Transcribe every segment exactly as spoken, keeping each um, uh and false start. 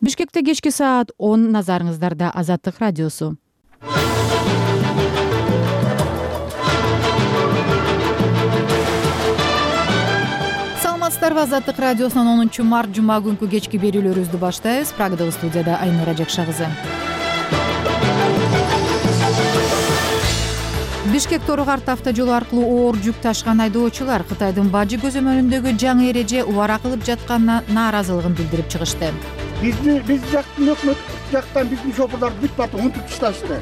Бишкекте кечки саат он, назарыңыздарда Азаттык радиосу. Саламатсыздарбы, Азаттык радиосунун онунчу март жума күнкү кечки берүүлөрүбүздү баштайбыз. Прагадагы студияда Айнура Жакша кызы. Бишкек Торогорт автожолу аркылуу оор жүк ташкан айдоочулар Кытайдын Бажы көзөмөлүндөгү жаңы эреже убара кылып жатканына нааразылыгын билдирип чыгышты. Бизди биз жактын өкмөт жактан биздин шопурлар бүт барды унутуп ташташты.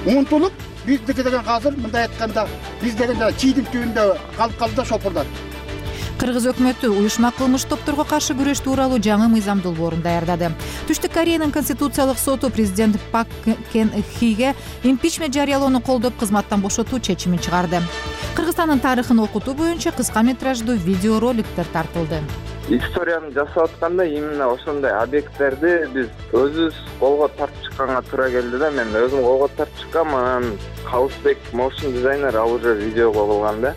Унутулуп биздики деген азыр мындай айтканда биз деген чийдин түбүндө калып калды да шопурлар. Кыргыз өкмөтү уюшма кылмыш топторго каршы күрөш тууралуу жаңы мыйзам долбоорун даярдады. Түштүк Кореянын конституциялык соту президент Пак Кен Хиге импичмент жарыялоону колдоп кызматтан бошотуу чечимин чыгарды. Кыргызстандын тарыхын окутуу боюнча кыска метраждуу видеороликтер тартылды. Историяны жасап атканда именно ошондой объекттерди биз өзүбүз колго тартып чыкканга туура келди да. Мен өзүм колго тартып чыккам, анан Хаусбек motion дизайнер ал уже видеого кылган да.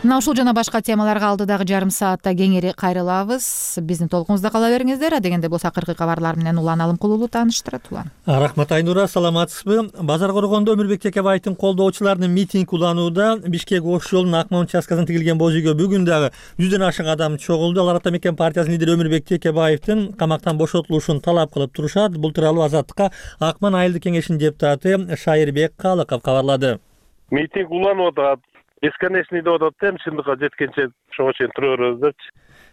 Мына ушул жана башка темаларга алдыдагы жарым саатта кеңири кайрылабыз. Биздин толкунубузда кала бериңиздер. Адегенде болсо акыркы кабарлар менен Улан Алымкулуу тааныштырат. Улан. Рахмат Айнура, саламатсызбы? Базар коргондо Өмүрбек Текебаевдин колдоочуларынын митинг уланууда Бишкек Ош жолунун Акман участкасынан тигилген боз үйгө бүгүн дагы жүздөн ашык адам чогулду. Алар Ата Мекен партиясынын лидери Өмүрбек Текебаевдин камактан бошотулушун талап кылып турушат. Бул тууралуу Азаттыкка Акман айылдык кеңешинин депутаты Шайырбек Калыков кабарлады. Митинг уланып атат. Бесконечный деп атат да, чындыкка жеткенче ошого чейин тура беребиз депчи.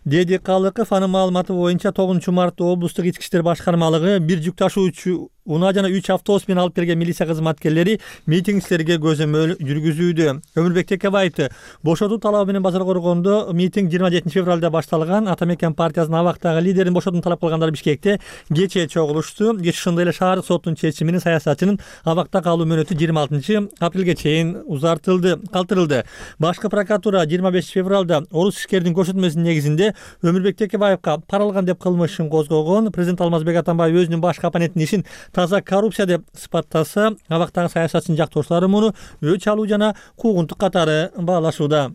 Деди Калыков. Анын маалыматы боюнча тогузунчу мартта облустук ички иштер башкармалыгы бир жүк ташуучу унаа жана үч автобус менен алып келген милиция кызматкерлери митингчилерге көзөмөл жүргүзүүдө. Өмүрбек Текебаевди бошотуу талабы менен базар коргондо митинг жыйырма жетинчи февралда башталган. Ата Мекен партиясынын абактагы лидерин бошотууну талап кылгандар Бишкекте кечээ чогулушту. Кеч ошондой эле шаардык соттун чечими менен саясатчынын абакта калуу мөөнөтү жыйырма алтынчы апрелге чейин узартылды, калтырылды. Башкы прокуратура жыйырма бешинчи февралда орус ишкердин көрсөтмөсүнүн негизинде Өмүрбек Текебаевга пара алган деп кылмыш ишин козгогон. Президент Алмазбек Атамбаев өзүнүн башкы оппонентинин ишин таза коррупция деп сыпаттаса, абактагы саясатчынын жактоочулары муну өч алуу жана куугунтук катары баалашууда.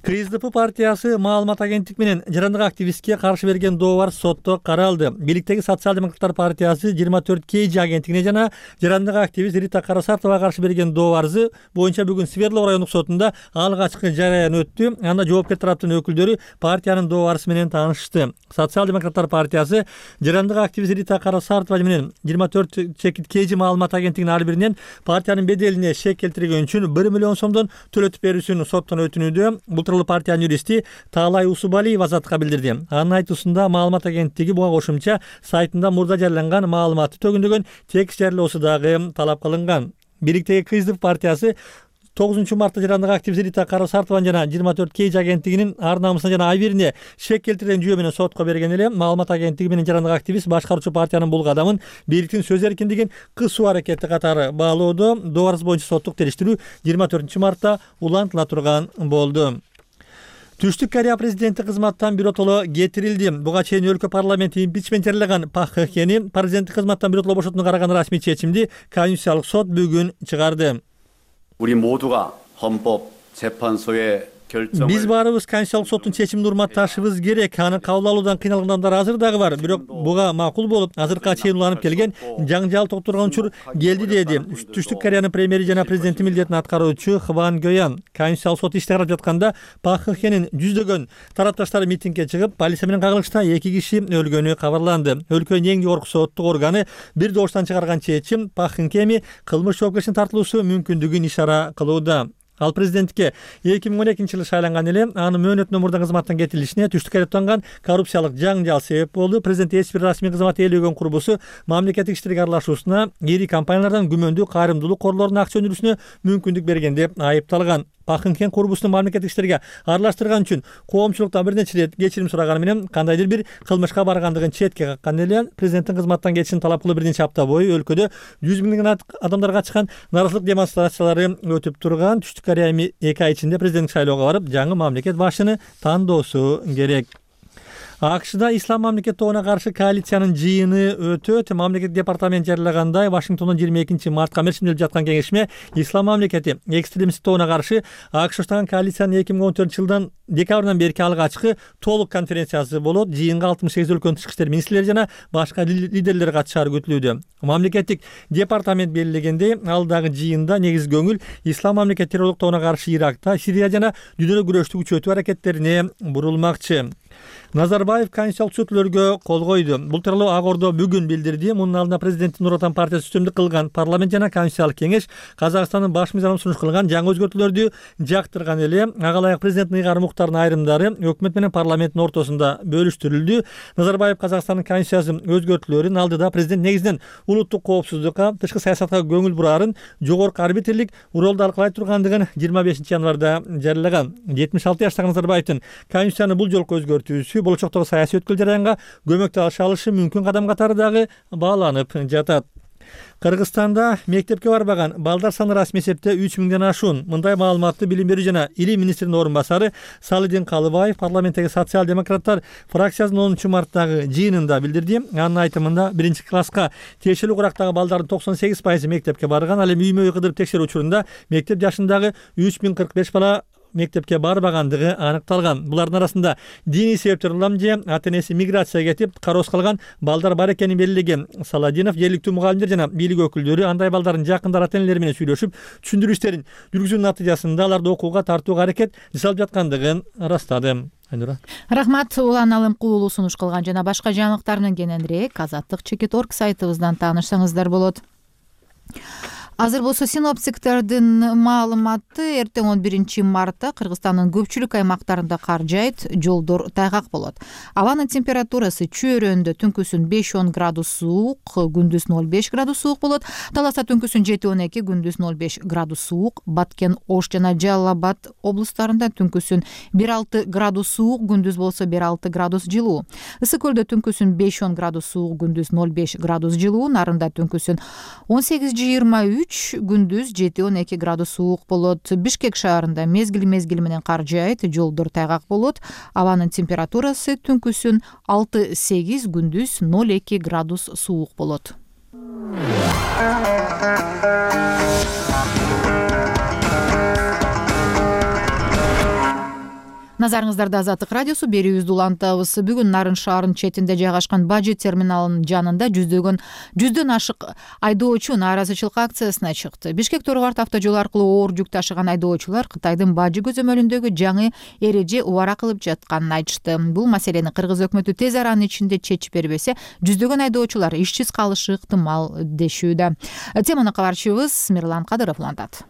КСДП партиясы маалымат агенттик менен жарандык активистке каршы берген дообар сотто каралды. Бийликтеги Социал-демократтар партиясы жыйырма төрт кей жи агенттигине жана жарандык активист Рита Карасартовага каршы берген дообары боюнча бүгүн Свердлов райондук сотунда алгачкы жараян өттү. Анда жоопкер тараптын өкүлдөрү партиянын дообарысы менен таанышты. Социал-демократтар партиясы жарандык активист Рита Карасартова менен жыйырма төрт кей жи маалымат агенттигинин ар биринен партиянын беделине шек келтирген үчүн бир миллион сомдон төлөтүп берүүсүн соттон өтүнүүдө. Бул партиянын юристи Таалай Усубалиев Азаттыкка билдирди. Анын айтуусунда маалымат агенттиги буга кошумча сайтында мурда жарыяланган маалыматты төгүндөгөн текст жарыялоосу дагы талап кылынган. Бийликтеги КСДП партиясы тогузунчу мартта жарандык активист Рита Карасартованы жана жыйырма төрт кей жи агенттигинин ар намысына жана ай бирине шек келтирген жүйө менен сотко берген эле. Маалымат агенттиги менен жарандык активист башкаруучу партиянын бул кадамын бийликтин сөз эркиндигин кысуу аракети катары баалоодо. Дообарыбыз боюнча соттук териштирүү жыйырма төртүнчү мартта улантыла турган болду. Түштүк Корея президенти кызматтан биротоло кетирилди. Буга чейин өлкө парламенти импичмент жарыялаган Пак Кхени президенттик кызматтан биротоло бошотууну караган расмий чечимди Конституциялык сот бүгүн чыгарды. 우리 모두가 헌법재판소의 Биз баарыбыз Конституциялык соттун чечимин урматташыбыз керек. Аны кабыл алуудан кыйналган адамдар азыр дагы бар. Бирок буга макул болуп, азыркыга чейин уланып келген жаңжал токтурган учур келди деди Түштүк Кореянын премьери жана президенти милдетин аткаруучу Хван Гёян. Конституциялык сот ишти карап жатканда Пак Кхенин жүздөгөн тарапташтары митингге чыгып, полиция менен кагылышта эки киши өлгөнү кабарланды. Өлкөнүн эң жогорку соттук органы бир добуштан чыгарган чечим Пак Кхени кылмыш жоопкерчилигине тартылуусу мүмкүндүгүн ишара кылууда. Ал президентке эки миң он экинчи жылы шайланган эле. Анын мөөнөтүнөн мурда кызматтан кетирилишине Түштүк Корея танган коррупциялык жаңжал себеп болду. Президент эч бир расмий кызмат ээлөгөн курбусу мамлекеттик иштерге аралашуусуна, ири компаниялардан күмөндүү кайрымдуулук корлорунун акча өндүрүүсүнө мүмкүндүк берген деп айыпталган. Пак Кхен курбусун мамлекеттик иштерге аралаштырган үчүн коомчулуктан бир нече рет кечирим сураганы менен кандайдыр бир кылмышка баргандыгын четке каккан эле. Президенттин кызматтан кетишин талап кылып бир нече апта бою өлкөдө жүз миңден адамдарга чыккан нааразычылык демонстрациялары өтүп турган. Түштүк Корея эки ай ичинде президенттик шайлоого барып, жаңы мамлекет башчыны тандоосу керек. АКШда ислам мамлекет тобуна каршы коалициянын жыйыны өтөт. Мамлекет департаменти жарыялагандай Вашингтондон жыйырма экинчи мартка мерчимделип жаткан кеңешме ислам мамлекети экстремисттик тобуна каршы АКШ баштаган коалициянын эки миң он төртүнчү жылдан декабрдан берки алгачкы толук конференциясы болот. Жыйынга алтымыш сегиз өлкөнүн тышкы иштер министрлери жана башка лидерлер катышары күтүлүүдө. Мамлекеттик департамент белгилегендей, алдагы жыйында негизги көңүл ислам мамлекет террорлук тобуна каршы Иракта, Сирия жана дүйнөлүк күрөштү күчөтүү аракеттерине бурулмакчы. Назарбаев конституциялык түзөтүүлөргө кол койду. Бул тууралуу Ак Ордо бүгүн билдирди. Мунун алдында президенттин Нур Отан партиясы үстөмдүк кылган парламент жана конституциялык кеңеш Казакстандын баш мыйзамына сунуш кылган жаңы өзгөртүүлөрдү жактырган эле. Ага ылайык президенттин ыйгары муктарынын айрымдары өкмөт менен парламенттин ортосунда бөлүштүрүлдү. Назарбаев Казакстандын конституциясын өзгөртүүлөрүн алдыда президент негизинен улуттук коопсуздукка, тышкы саясатка көңүл бурарын, жогорку арбитрлик ролду алкалай тургандыгын жыйырма бешинчи январда жарыялаган. жетимиш алты жаштагы Назарбаевдин конституцияны бул жолку өзгөртүүсү болочоктогу саясий өткүл жараянга көмөктө алышы мүмкүн кадам катары дагы бааланып жатат. Кыргызстанда мектепке барбаган балдар саны расмий эсепте үч миңден ашуун. Мындай маалыматты билим берүү жана илим министринин орун басары Салидин Калыбаев парламенттеги социал-демократтар фракциясынын онунчу марттагы жыйынында билдирди. Анын айтымында биринчи класска тиешелүү курактагы балдардын токсон сегиз пайызы мектепке барган. Ал эми үймө үй кыдырып текшерүү учурунда мектеп жашындагы үч миң кырк беш бала мектепке барбагандыгы аныкталган. Булардын арасында диний себептер улам же ата энеси миграцияга кетип кароосуз калган балдар бар экенин белгилеген Саладинов жергиликтүү мугалимдер жана бийлик өкүлдөрү андай балдардын жакындары ата энелери менен сүйлөшүп, түшүндүрүү иштерин жүргүзүүнүн натыйжасында аларды окууга тартууга аракет жасалып жаткандыгын ырастады. Айнура. Рахмат. Улан Алымкулуу сунуш кылган жана башка жаңылыктар менен кененирээк азаттык чекит точка орг сайтыбыздан таанышсаңыздар болот. Азыр болсо синоптиктердин маалыматы эртең он биринчи мартта Кыргызстандын көпчүлүк аймактарында кар жаайт, жолдор тайгак болот. Абанын температурасы чөйрөндө түнкүсүн беш он градус суук, күндүз ноль беш градус суук болот. Таласа түнкүсүн жети он эки, күндүз ноль беш градус суук. Баткен, Ош жана Жалал Абад облустарында түнкүсүн бир алты градус суук, күндүз болсо бир алты градус жылуу. Ысык көлдө түнкүсүн беш он градус суук, күндүз ноль беш градус жылуу. Нарында түнкүсүн он сегиз жыйырма үч, күндүз жети он эки градус суук болот. Бишкек шаарында мезгил мезгили менен кар жаайт, жолдор тайгак болот. Абанын температурасы түнкүсүн алты сегиз, күндүз ноль эки градус суук болот. Назарыңыздарда Азаттык радиосу берүүбүздү улантабыз. Бүгүн Нарын шаарынын четинде жайгашкан бажы терминалынын жанында жүздөгөн жүздөн ашык айдоочу нааразычылык акциясына чыкты. Бишкек Торгорт автожолу аркылуу оор жүк ташыган айдоочулар Кытайдын бажы көзөмөлүндөгү жаңы эреже убара кылып жатканын айтышты. Бул маселени кыргыз өкмөтү тез аранын ичинде чечип бербесе, жүздөгөн айдоочулар ишсиз калышы ыктымал дешүүдө. Теманы кабарчыбыз Мирлан Кадыров улантат.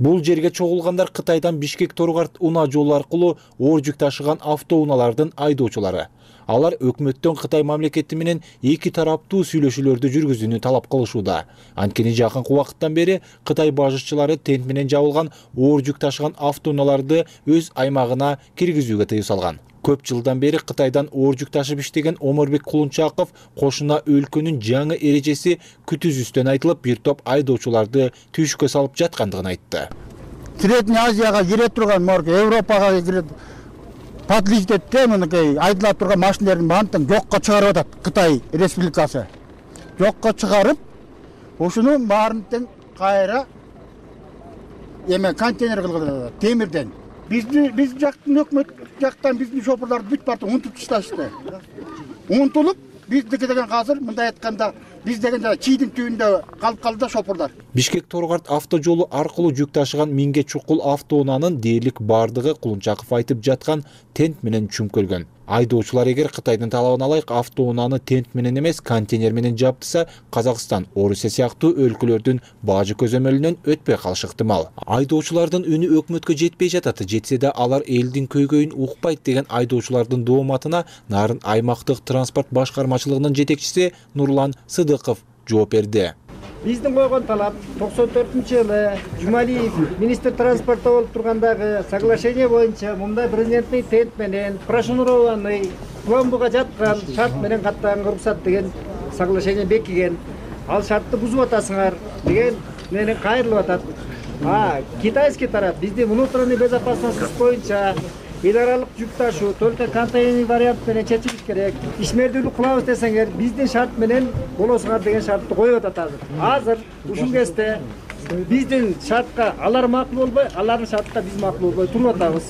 Бул жерге чогулгандар Кытайдан Бишкек Торгорт унаа жолу аркылуу оор жүк ташыган автоунаалардын айдоочулары. Алар өкмөттөн Кытай мамлекети менен эки тараптуу сүйлөшүүлөрдү жүргүзүүнү талап кылышууда. Анткени жакынкы убакыттан бери Кытай бажычылары тент менен жабылган оор жүк ташыган автоунааларды өз аймагына киргизүүгө тыюу салган. Көп жылдан бери Кытайдан оор жүк ташып иштеген Омурбек Кулунчаков кошуна өлкөнүн жаңы эрежеси күтүүсүздөн айтылып, бир топ айдоочуларды түйшүккө салып жаткандыгын айтты. Средний Азияга кире турган, морг Европага кире подлежит мынакей айдыла турган машиналардын баарын жокко чыгарып атат Кытай Республикасы. Жокко чыгарып, ошонун баарын тең кайра эме контейнер кылып атат, темирден. Бизди биз жактын өкмөт жактан биздин шопурларды бүт бартын унутуп ташташты. Унутулуп, биздики деген азыр мындай айтканда биз деген чийдин түбүндө калып калды да шопурлар. Бишкек Торгорт автожолу аркылуу жүк ташыган миңге чукул автоунаанын дээрлик бардыгы Кулунчаков айтып жаткан тент менен чүмкөлгөн. Айдоочулар эгер Кытайдын талабына ылайык автоунааны тент менен эмес контейнер менен жаптыса, Казакстан, Орусия сыяктуу өлкөлөрдүн бажы көзөмөлүнөн өтпөй калышы ыктымал. Айдоочулардын үнү өкмөткө жетпей жатат, жетсе да алар элдин көйгөйүн укпайт деген айдоочулардын дооматына Нарын аймактык транспорт башкармачылыгынын жетекчиси Нурлан Сыдыков жооп берди. Биздин койгон талап токсон төртүнчү жылы Жумалиев министр транспорта болуп тургандагы соглашение боюнча мындай президенттин тент менен прошнурованный пломбуга жаткан шарт менен каттаганга уруксат деген соглашение бекиген. Ал шартты бузуп атасыңар деген менен кайрылып атат. А китайский тарап биздин внутренний безопасность боюнча эл аралык жүк ташуу только контейнер вариант менен чечилиш керек. Ишмердүүлүк кылабыз десеңер, биздин шарт менен болосуңар деген шартты коюп атат азыр. Азыр ушул кезде биздин шартка алар макул болбой, алардын шартка биз макул болбой туруп атабыз.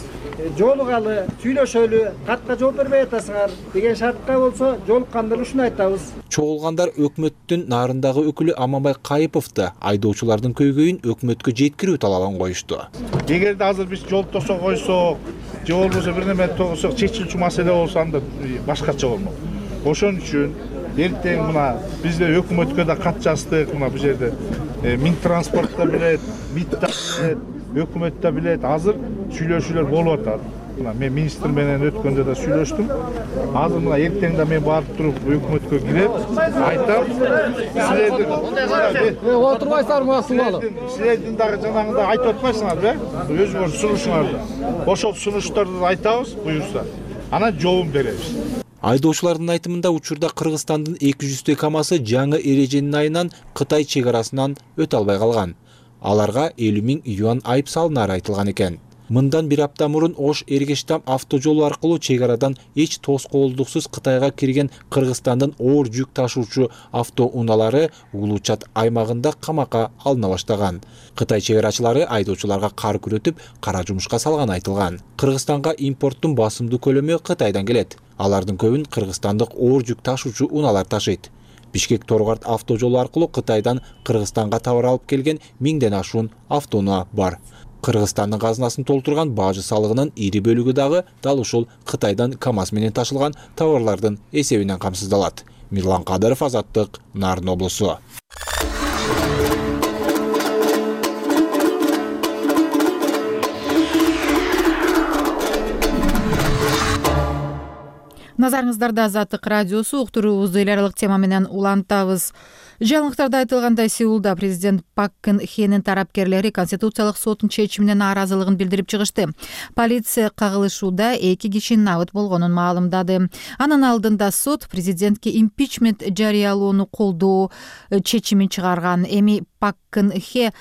Жолугалы, сүйлөшөлү, катка жооп бербей атасыңар деген шартка болсо жолукканда ушуну айтабыз. Чогулгандар өкмөттүн нарындагы өкүлү Аманбай Кайыповду айдоочулардын көйгөйүн өкмөткө жеткирүү талабын коюшту. Эгерде азыр биз жол тосо койсок, же болбосо бир неме тосок, чечилчү маселе болсо анда башкача болмок. Ошон үчүн эртең мына бизде өкмөткө да кат жаздык, мына бул жерде Минтранспорт да билет, МИД да билет, өкмөт да билет. Азыр сүйлөшүүлөр болуп атат. Мына мен министр менен өткөндө да сүйлөштүм. Азыр мына эртең да мен барып туруп өкмөткө кирип айтам, силердин отурбайсыздар мына субалы. Силердин дагы жанагындай айтып атпайсыңарбы? Өзүңөр сунушуңарды. Ошол сунуштарды айтабыз, буюрса. Анан жообун беребиз. Айдоочулардын айтымында учурда Кыргызстандын эки жүздөй камасы жаңы эреженин айынан Кытай чек арасынан өтө албай калган. Аларга элүү миң юан айып салынары айтылган экен. Мындан бир апта мурун Ош Эргештам автожолу аркылуу чек арадан эч тоскоолдуксуз Кытайга кирген Кыргызстандын оор жүк ташуучу автоунаалары Улуучат аймагында камакка алына баштаган. Кытай чек арачылары айдоочуларга кар күрөтүп, кара жумушка салганы айтылган. Кыргызстанга импорттун басымдуу көлөмү Кытайдан келет. Алардын көбүн кыргызстандык оор жүк ташуучу унаалар ташыйт. Бишкек Торгарт автожолу аркылуу Кытайдан Кыргызстанга товар алып келген миңден ашуун автоунаа бар. Кыргызстандын казынасын толтурган бажы салыгынын ири бөлүгү дагы дал ушул Кытайдан КАМАЗ менен ташылган товарлардын эсебинен камсыздалат. Мирлан Кадыров, Азаттык, Нарын облусу. Назарыңыздарда Азаттык радиосу, уктуруубузду эл аралык тема менен улантабыз. Жаңылыктарда айтылгандай, Сеулда президент Пак Кын Хенин тарапкерлери Конституциялык соттун чечимине нааразылыгын билдирип чыгышты. Полиция кагылышууда эки кишинин абыт болгонун маалымдады. Анын алдында сот президентке импичмент жарыялоону колдоо чечимин чыгарган. Эми Пак Кын Хе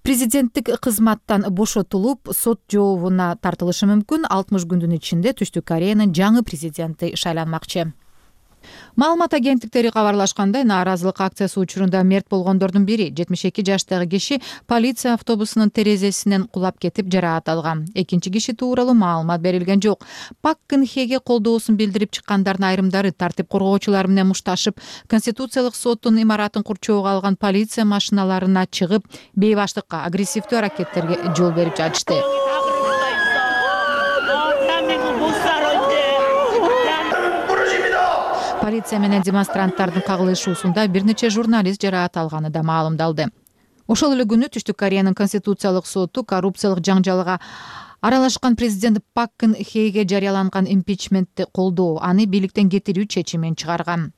президенттик кызматтан бошотулуп, сот жообуна тартылышы мүмкүн. алтымыш күндүн ичинде Түштүк Кореянын жаңы президенти шайланмакчы. Маалымат агенттиктери кабарлашкандай, нааразылык акциясы учурунда мерт болгондордун бири жетимиш эки жаштагы киши полиция автобусунун терезесинен кулап кетип жараат алган. Экинчи киши тууралуу маалымат берилген жок. Пак Кын Хеге колдоосун билдирип чыккандардын айрымдары тартип коргоочулар менен мушташып, Конституциялык соттун имаратын курчоого алган полиция машиналарына чыгып, бейбаштыкка, агрессивдүү аракеттерге жол берип жатышты. Полиция менен демонстранттардын кагылышуусунда бир нече журналист жараат алганы да маалымдалды. Ошол эле күнү Түштүк Кореянын Конституциялык соту коррупциялык жаңжалга аралашкан президент Пак Кын Хеге жарыяланган импичментти колдоо, аны бийликтен кетирүү чечимин чыгарган.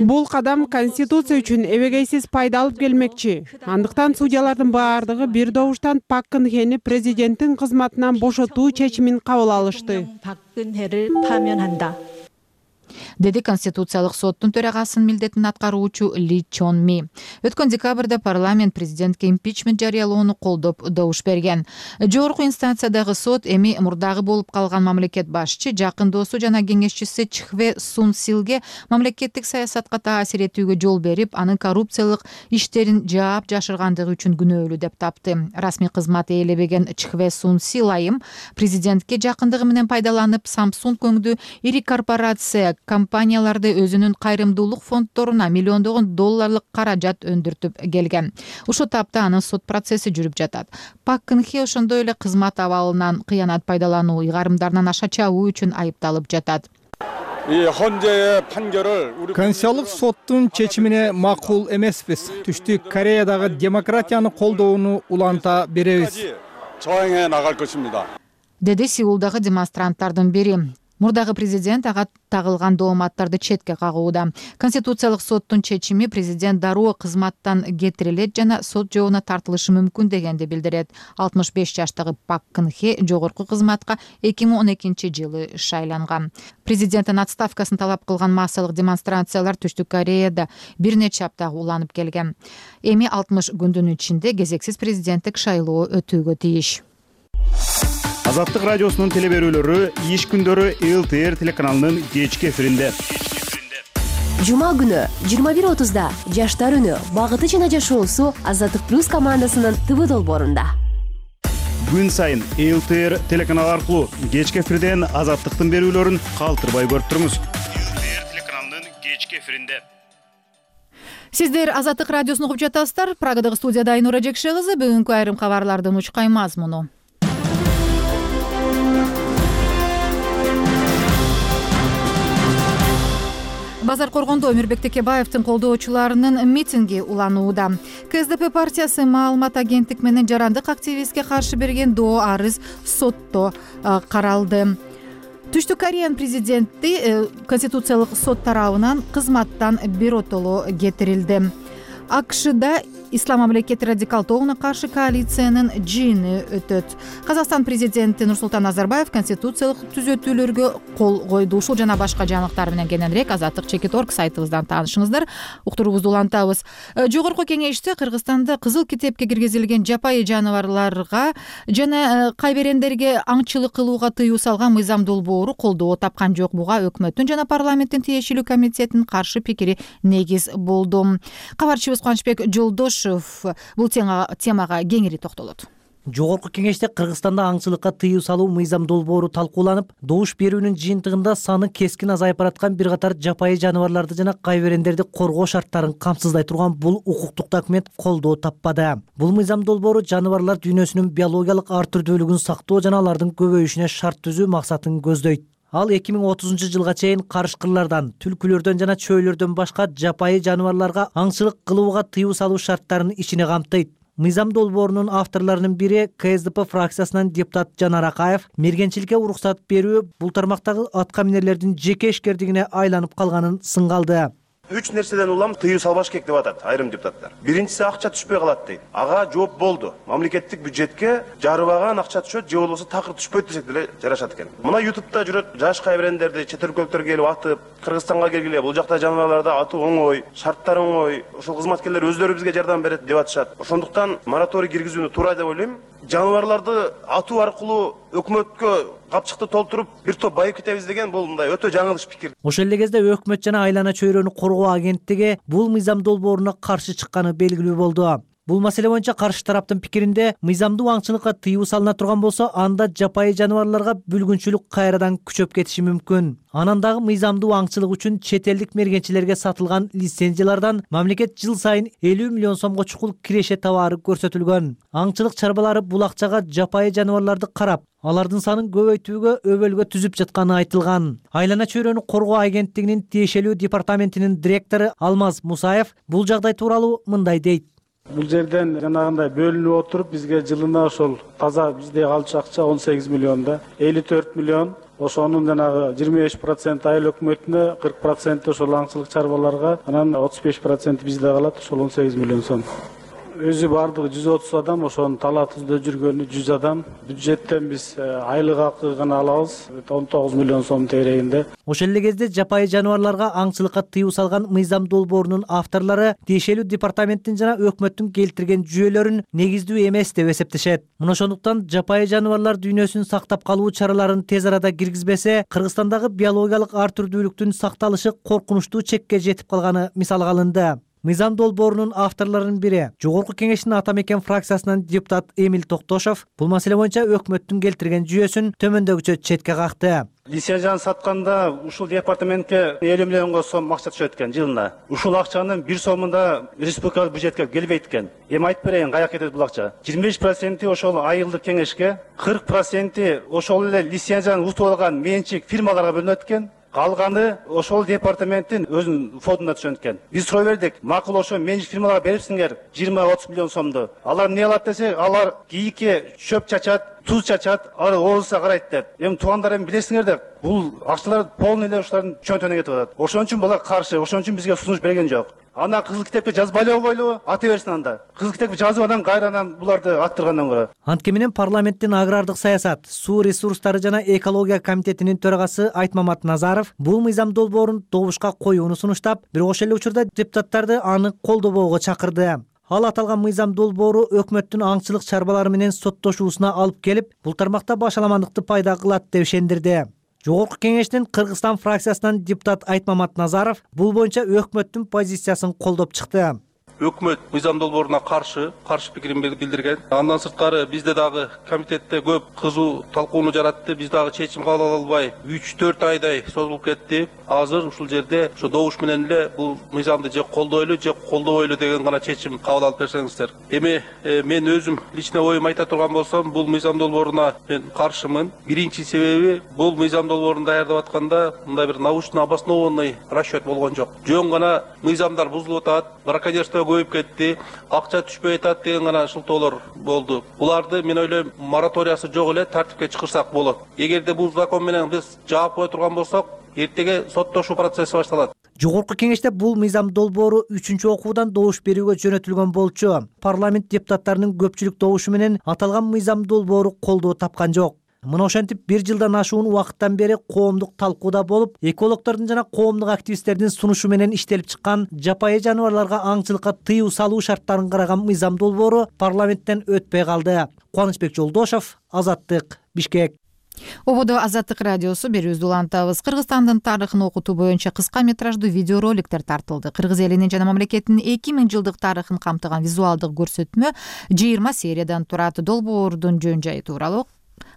Бул кадам Конституция үчүн эбегейсиз пайда алып келмекчи. Андыктан судьялардын баардыгы бир добуштан Пак Кын Хени президенттин кызматынан бошотуу чечимин кабыл алышты, деди Конституциялык соттун төрагасынын милдетин аткаруучу Ли Чон Ми. Өткөн декабрда парламент президентке импичмент жарыялоону колдоп добуш берген. Жогорку инстанциядагы сот эми мурдагы болуп калган мамлекет башчы, жакын досу жана кеңешчиси Чхве Сун Силге мамлекеттик саясатка таасир этүүгө жол берип, анын коррупциялык иштерин жаап жашыргандыгы үчүн күнөөлүү деп тапты. Расмий кызмат ээлебеген Чхве Сун Сил айым президентке жакындыгы менен пайдаланып, Samsung өңдүү ири корпорация компанияларды өзүнүн кайрымдуулук фонддоруна миллиондогон долларлык каражат өндүртүп келген. Ушул тапта анын сот процесси жүрүп жатат. Пак Кын Хе ошондой эле кызмат абалынан кыянат пайдалануу, ыйгарымдарынан аша чабуу үчүн айыпталып жатат. Конституциялык соттун чечимине макул эмеспиз. Түштүк Кореядагы демократияны колдоону уланта беребиз, деди Сеулдагы демонстранттардын бири. Мурдагы президент ага тагылган дооматтарды четке кагууда. Конституциялык соттун чечими президент дароо кызматтан кетирилет жана сот жообуна тартылышы мүмкүн дегенди билдирет. алтымыш беш жаштагы Пак Кын Хе жогорку кызматка эки миң он экинчи жылы шайланган. Президенттин отставкасын талап кылган массалык демонстрациялар Түштүк Кореяда бир нече апта уланып келген. Эми алтымыш күндүн ичинде кезексиз президенттик шайлоо өтүүгө тийиш. Азаттык радиосунун теле берүүлөрү иш күндөрү эл тэ эр телеканалынын кечки эфиринде. Жума күнү жыйырма бир отузда Жаштар үнү багыты жана жашоосу Азаттык плюс командасынын ТВ долбоорунда. Күн сайын эл тэ эр телеканалы аркылуу кечки эфирден Азаттыктын берүүлөрүн калтырбай көрүп туруңуз. эл тэ эр телеканалынын кечки эфиринде. Сиздер Азаттык радиосун угуп жатасыздар. Прагадагы студияда Айнура Жекше кызы. Бүгүнкү айрым кабарлардын учкай мазмуну. Базар Коргондо Өмүрбек Текебаевдин колдоочуларынын митинги уланууда. ка эс дэ пэ партиясы маалымат агенттик менен жарандык активистке каршы берген доо арыз сотто каралды. Түштүк Кореянын президенти Конституциялык сот тарабынан кызматтан биротоло кетирилди. АКШда Ислам мамлекети радикал тобуна каршы коалициянын жыйыны өтөт. Казакстан президенти Нурсултан Назарбаев конституциялык түзөтүүлөргө кол койду. Ушул жана башка жаңылыктар менен кененирээк Азаттык чекит точка орг сайтыбыздан таанышыңыздар. Уктуруубузду улантабыз. Жогорку кеңеште Кыргызстанда кызыл китепке киргизилген жапайы жаныбарларга жана кайберендерге аңчылык кылууга тыюу салган мыйзам долбоору колдоо тапкан жок. Буга өкмөттүн жана парламенттин тиешелүү комитетинин каршы пикири негиз болду. Кабарчыбыз Кубанычбек Жолдош бул темага кеңири токтолот. Жогорку кеңеште Кыргызстанда аңчылыкка тыюу салуу мыйзам долбоору талкууланып, добуш берүүнүн жыйынтыгында саны кескин азайып бараткан бир катар жапайы жаныбарларды жана кайберендерди коргоо шарттарын камсыздай турган бул укуктук документ колдоо таппады. Бул мыйзам долбоору жаныбарлар дүйнөсүнүн биологиялык ар түрдүүлүгүн сактоо жана алардын көбөйүшүнө шарт түзүү максатын көздөйт. Ал эки миң отузунчу жылга чейин карышкырлардан, түлкүлөрдөн жана чөйлөрдөн башка жапайы жаныбарларга аңчылык кылууга тыюу салуу шарттарын ичине камтыйт. Мыйзам долбоорунун авторлорунун бири ка эс дэ пэ фракциясынан депутат Жанар Акаев мергенчиликке уруксат берүү бул тармактагы атка минерлердин жеке ишкердигине айланып калганын сынгалды. Үч нерседен улам тыюу салбаш керек деп атат айрым депутаттар. Биринчиси акча түшпөй калат дейт. Ага жооп болду. Мамлекеттик бюджетке жарыбаган акча түшөт, же болбосо такыр түшпөйт десек деле жарашат экен. Мына ютубта жүрөт жаш кайберендерди чет өлкөлүктөр келип атып, Кыргызстанга келгиле, бул жакта жаныбарларды атуу оңой, шарттар оңой, ошол кызматкерлер өздөрү бизге жардам берет деп атышат. Ошондуктан мораторий киргизүүнү туура деп ойлойм. Жаныбарларды атуу аркылуу өкмөткө капчыкты толтуруп бир топ байып кетебиз деген бул мындай өтө жаңылыш пикир. Ошол эле кезде өкмөт жана айлана чөйрөнү коргоо агенттиги бул мыйзам долбооруна каршы чыкканы белгилүү болду. Бул маселе боюнча каршы тараптын пикиринде мыйзамдуу аңчылыкка тыюу салына турган болсо, анда жапайы жаныбарларга бүлгүнчүлүк кайрадан күчөп кетиши мүмкүн. Анан дагы мыйзамдуу аңчылык үчүн чет элдик мергенчилерге сатылган лицензиялардан мамлекет жыл сайын элүү миллион сомго чукул киреше табаары көрсөтүлгөн. Аңчылык чарбалары бул акчага жапайы жаныбарларды карап, алардын санын көбөйтүүгө өбөлгө түзүп жатканы айтылган. Айлана чөйрөнү коргоо агенттигинин тиешелүү департаментинин директору Алмаз Мусаев бул жагдай тууралуу мындай дейт. Бул жерден жанагындай бөлүнүп отуруп бизге жылына ошол таза бизде калчу акча он сегиз миллионда, элүү төрт миллион ошонун жанагы жыйырма беш проценти айыл өкмөтүнө, кырк проценти ошол аңчылык чарбаларга, анан отуз беш проценти бизде калат, ошол он сегиз миллион сом. Өзү бардыгы жүз отуз адам, ошонун талаатыбызда жүргөнү жүз адам. Бюджеттен биз айлык акы гана алабыз, он тогуз миллион сом тегерегинде. Ошол эле кезде жапайы жаныбарларга аңчылыкка тыюу салган мыйзам долбоорунун авторлору тиешелүү департаменттин жана өкмөттүн келтирген жүйөлөрүн негиздүү эмес деп эсептешет. Мына ошондуктан жапайы жаныбарлар дүйнөсүн сактап калуу чараларын тез арада киргизбесе, Кыргызстандагы биологиялык ар түрдүүлүктүн сакталышы коркунучтуу чекке жетип калганы мисалга алынды. Мыйзам долбоорунун авторлорунун бири Жогорку кеңештин Ата Мекен фракциясынан депутат Эмил Токтошов бул маселе боюнча өкмөттүн келтирген жүйөсүн төмөндөгүчө четке какты. Лицензияны сатканда ушул департаментке элүү миллионго сом акча түшөт экен жылына. Ушул акчанын бир сомун да республикалык бюджетке келбейт экен. Эми айтып берейин, каяка кетет бул акча. жыйырма беш проценти ошол айылдык кеңешке, кырк проценти ошол эле лицензияны утуп алган менчик фирмаларга бөлүнөт экен. Калганы ошол департаменттин өзүнүн фондуна түшөт экен. Биз суроо бердик, макул ошо менчик фирмаларга берипсиңер жыйырма отуз миллион сомду. Алар эмне алат десек, алар кийикке чөп чачат, туз чачат, ары оозуна карайт деп. Эми туугандар эми билесиңер деп, бул акчалар полный эле ушулардын чөнтөгүнө кетип атат. Ошон үчүн булар каршы, ошон үчүн бизге сунуш берген жок. Ана кызыл китепке жазбайлы бойлу ата берсин анда. Кызыл китепке жазып анан кайрадан буларды аттыргандан көрө. Антке менен парламенттин агрардык саясат, суу ресурстары жана экология комитетинин төрагасы Айтмамат Назаров бул мыйзам долбоорун добушка коюуну сунуштап, бирок ошол эле учурда депутаттарды аны колдобоого чакырды. Ал аталган мыйзам долбоору өкмөттүн аңчылык чарбалары менен соттошуусуна алып келип, бул тармакта башаламандыкты пайда кылат деп ишендирди. Жогорку кеңештин Кыргызстан фракциясынан депутат Айтмамат Назаров бул боюнча өкмөттүн позициясын колдоп чыкты. Өкмөт мыйзам долбооруна каршы, каршы пикирин билдирген. Андан сырткары бизде дагы комитетте көп кызуу талкууну жаратты. Биз дагы чечим кабыл ала албай үч төрт айдай созулуп кетти. Азыр ушул жерде ошо добуш менен эле бул мыйзамды же колдойлу, же колдобойлу деген гана чечим кабыл алып берсеңиздер. Эми э, мен өзүм личный оюм айта турган болсом, бул мыйзам долбооруна мен каршымын. Биринчи себеби бул мыйзам долбоорун даярдап атканда мындай бир научно обоснованный расчет болгон жок. Жөн гана мыйзамдар бузулуп атат, браконьерство көбөйүп кетти, акча түшпөй атат деген гана шылтоолор болду. Буларды мен ойлойм мораториясы жок эле тартипке чакырсак болот. Эгерде бул закон менен биз жаап кое турган болсок, эртеге соттошуу процесси башталат. Жогорку кеңеште бул мыйзам долбоору үчүнчү окуудан добуш берүүгө жөнөтүлгөн болчу. Парламент депутаттарынын көпчүлүк добушу менен аталган мыйзам долбоору колдоо тапкан жок. Мына ошентип бир жылдан ашуун убакыттан бери коомдук талкууда болуп, экологдордун жана коомдук активисттердин сунушу менен иштелип чыккан жапайы жаныбарларга аңчылыкка тыюу салуу шарттарын караган мыйзам долбоору парламенттен өтпөй калды. Кубанычбек Жолдошов, Азаттык, Бишкек. Ободо Азаттык радиосу берүүбүздү улантабыз. Кыргызстандын тарыхын окутуу боюнча кыска метраждуу видеороликтер тартылды. Кыргыз элинин жана мамлекеттин эки миң жылдык тарыхын камтыган визуалдык көрсөтмө жыйырма сериядан турат. Долбоордун жөн жайы тууралуу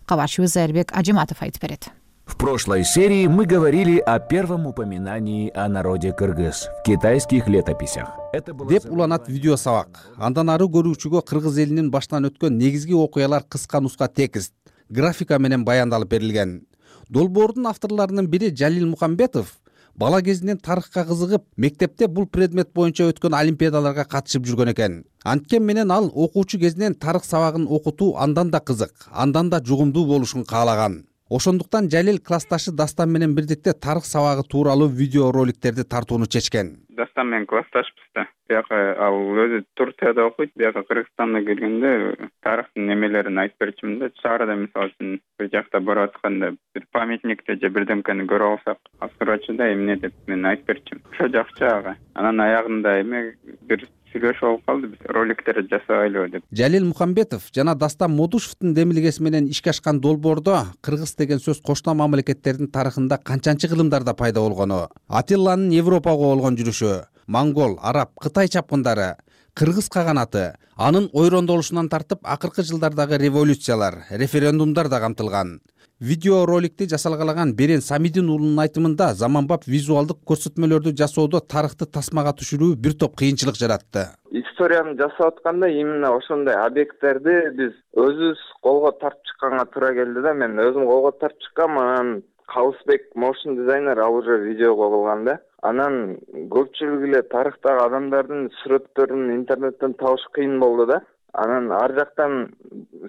кабарчыбыз Айрбек Ажиматов айтып берет. В прошлой серии мы говорили о первом упоминании о народе кыргыз в китайских летописях. Деп уланат видео сабак. Андан ары көрүүчүгө кыргыз элинин башынан өткөн негизги окуялар кыска нуска текст, графика менен баяндалып берилген. Долбоордун авторлорунун бири Жалил Мухамбетов бала кезинен тарыхка кызыгып, мектепте бул предмет боюнча өткөн олимпиадаларга катышып жүргөн экен. Анткени менен ал окуучу кезинен тарых сабагын окутуу андан да кызык, андан да жугумдуу болушун каалаган. Ошондуктан Жалил классташы Дастан менен бирдикте тарых сабагы тууралуу видеороликтерди тартууну чечкен. Дастан менен классташпыз да. Бияка ал өзү Турцияда окуйт, бияка Кыргызстанда келгенде тарыхтын немелерин айтып берчүмүн да. Шаарда мисалы үчүн бир жакта барып атканда бир памятникти же бирдемкени көрүп алсак, азырчыда эмне деп мен айтып берчүм. Ошо жакчы ага. Анан аягында эме бир сүйлөшүп алып калды, биз роликтерди жасабайлыбы деп. Жалил Мухамбетов жана Дастан Модушевдун демилгеси менен ишке ашкан долбоордо кыргыз деген сөз кошуна мамлекеттердин тарыхында канчанчы кылымдарда пайда болгону, Атилланын Европага болгон жүрүшү, монгол, араб, Кытай чапкындары, кыргыз каганаты, анын ойрондолушунан тартып акыркы жылдардагы революциялар, референдумдар да камтылган. Видео роликти жасалгалаган Берен Самидин уулунун айтымында заманбап визуалдык көрсөтмөлөрдү жасоодо тарыхты тасмага түшүрүү бир топ кыйынчылык жаратты. Историяны жасап атканда именно ошондой объекттерди биз өзүбүз колго тартып чыкканга туура келди да. Мен өзүм колго тартып чыккам, анан Калысбек motion дизайнер ал уже видеого кылган да. Анан көпчүлүк эле тарыхтагы адамдардын сүрөттөрүн интернеттен табыш кыйын болду да. Анан ар жактан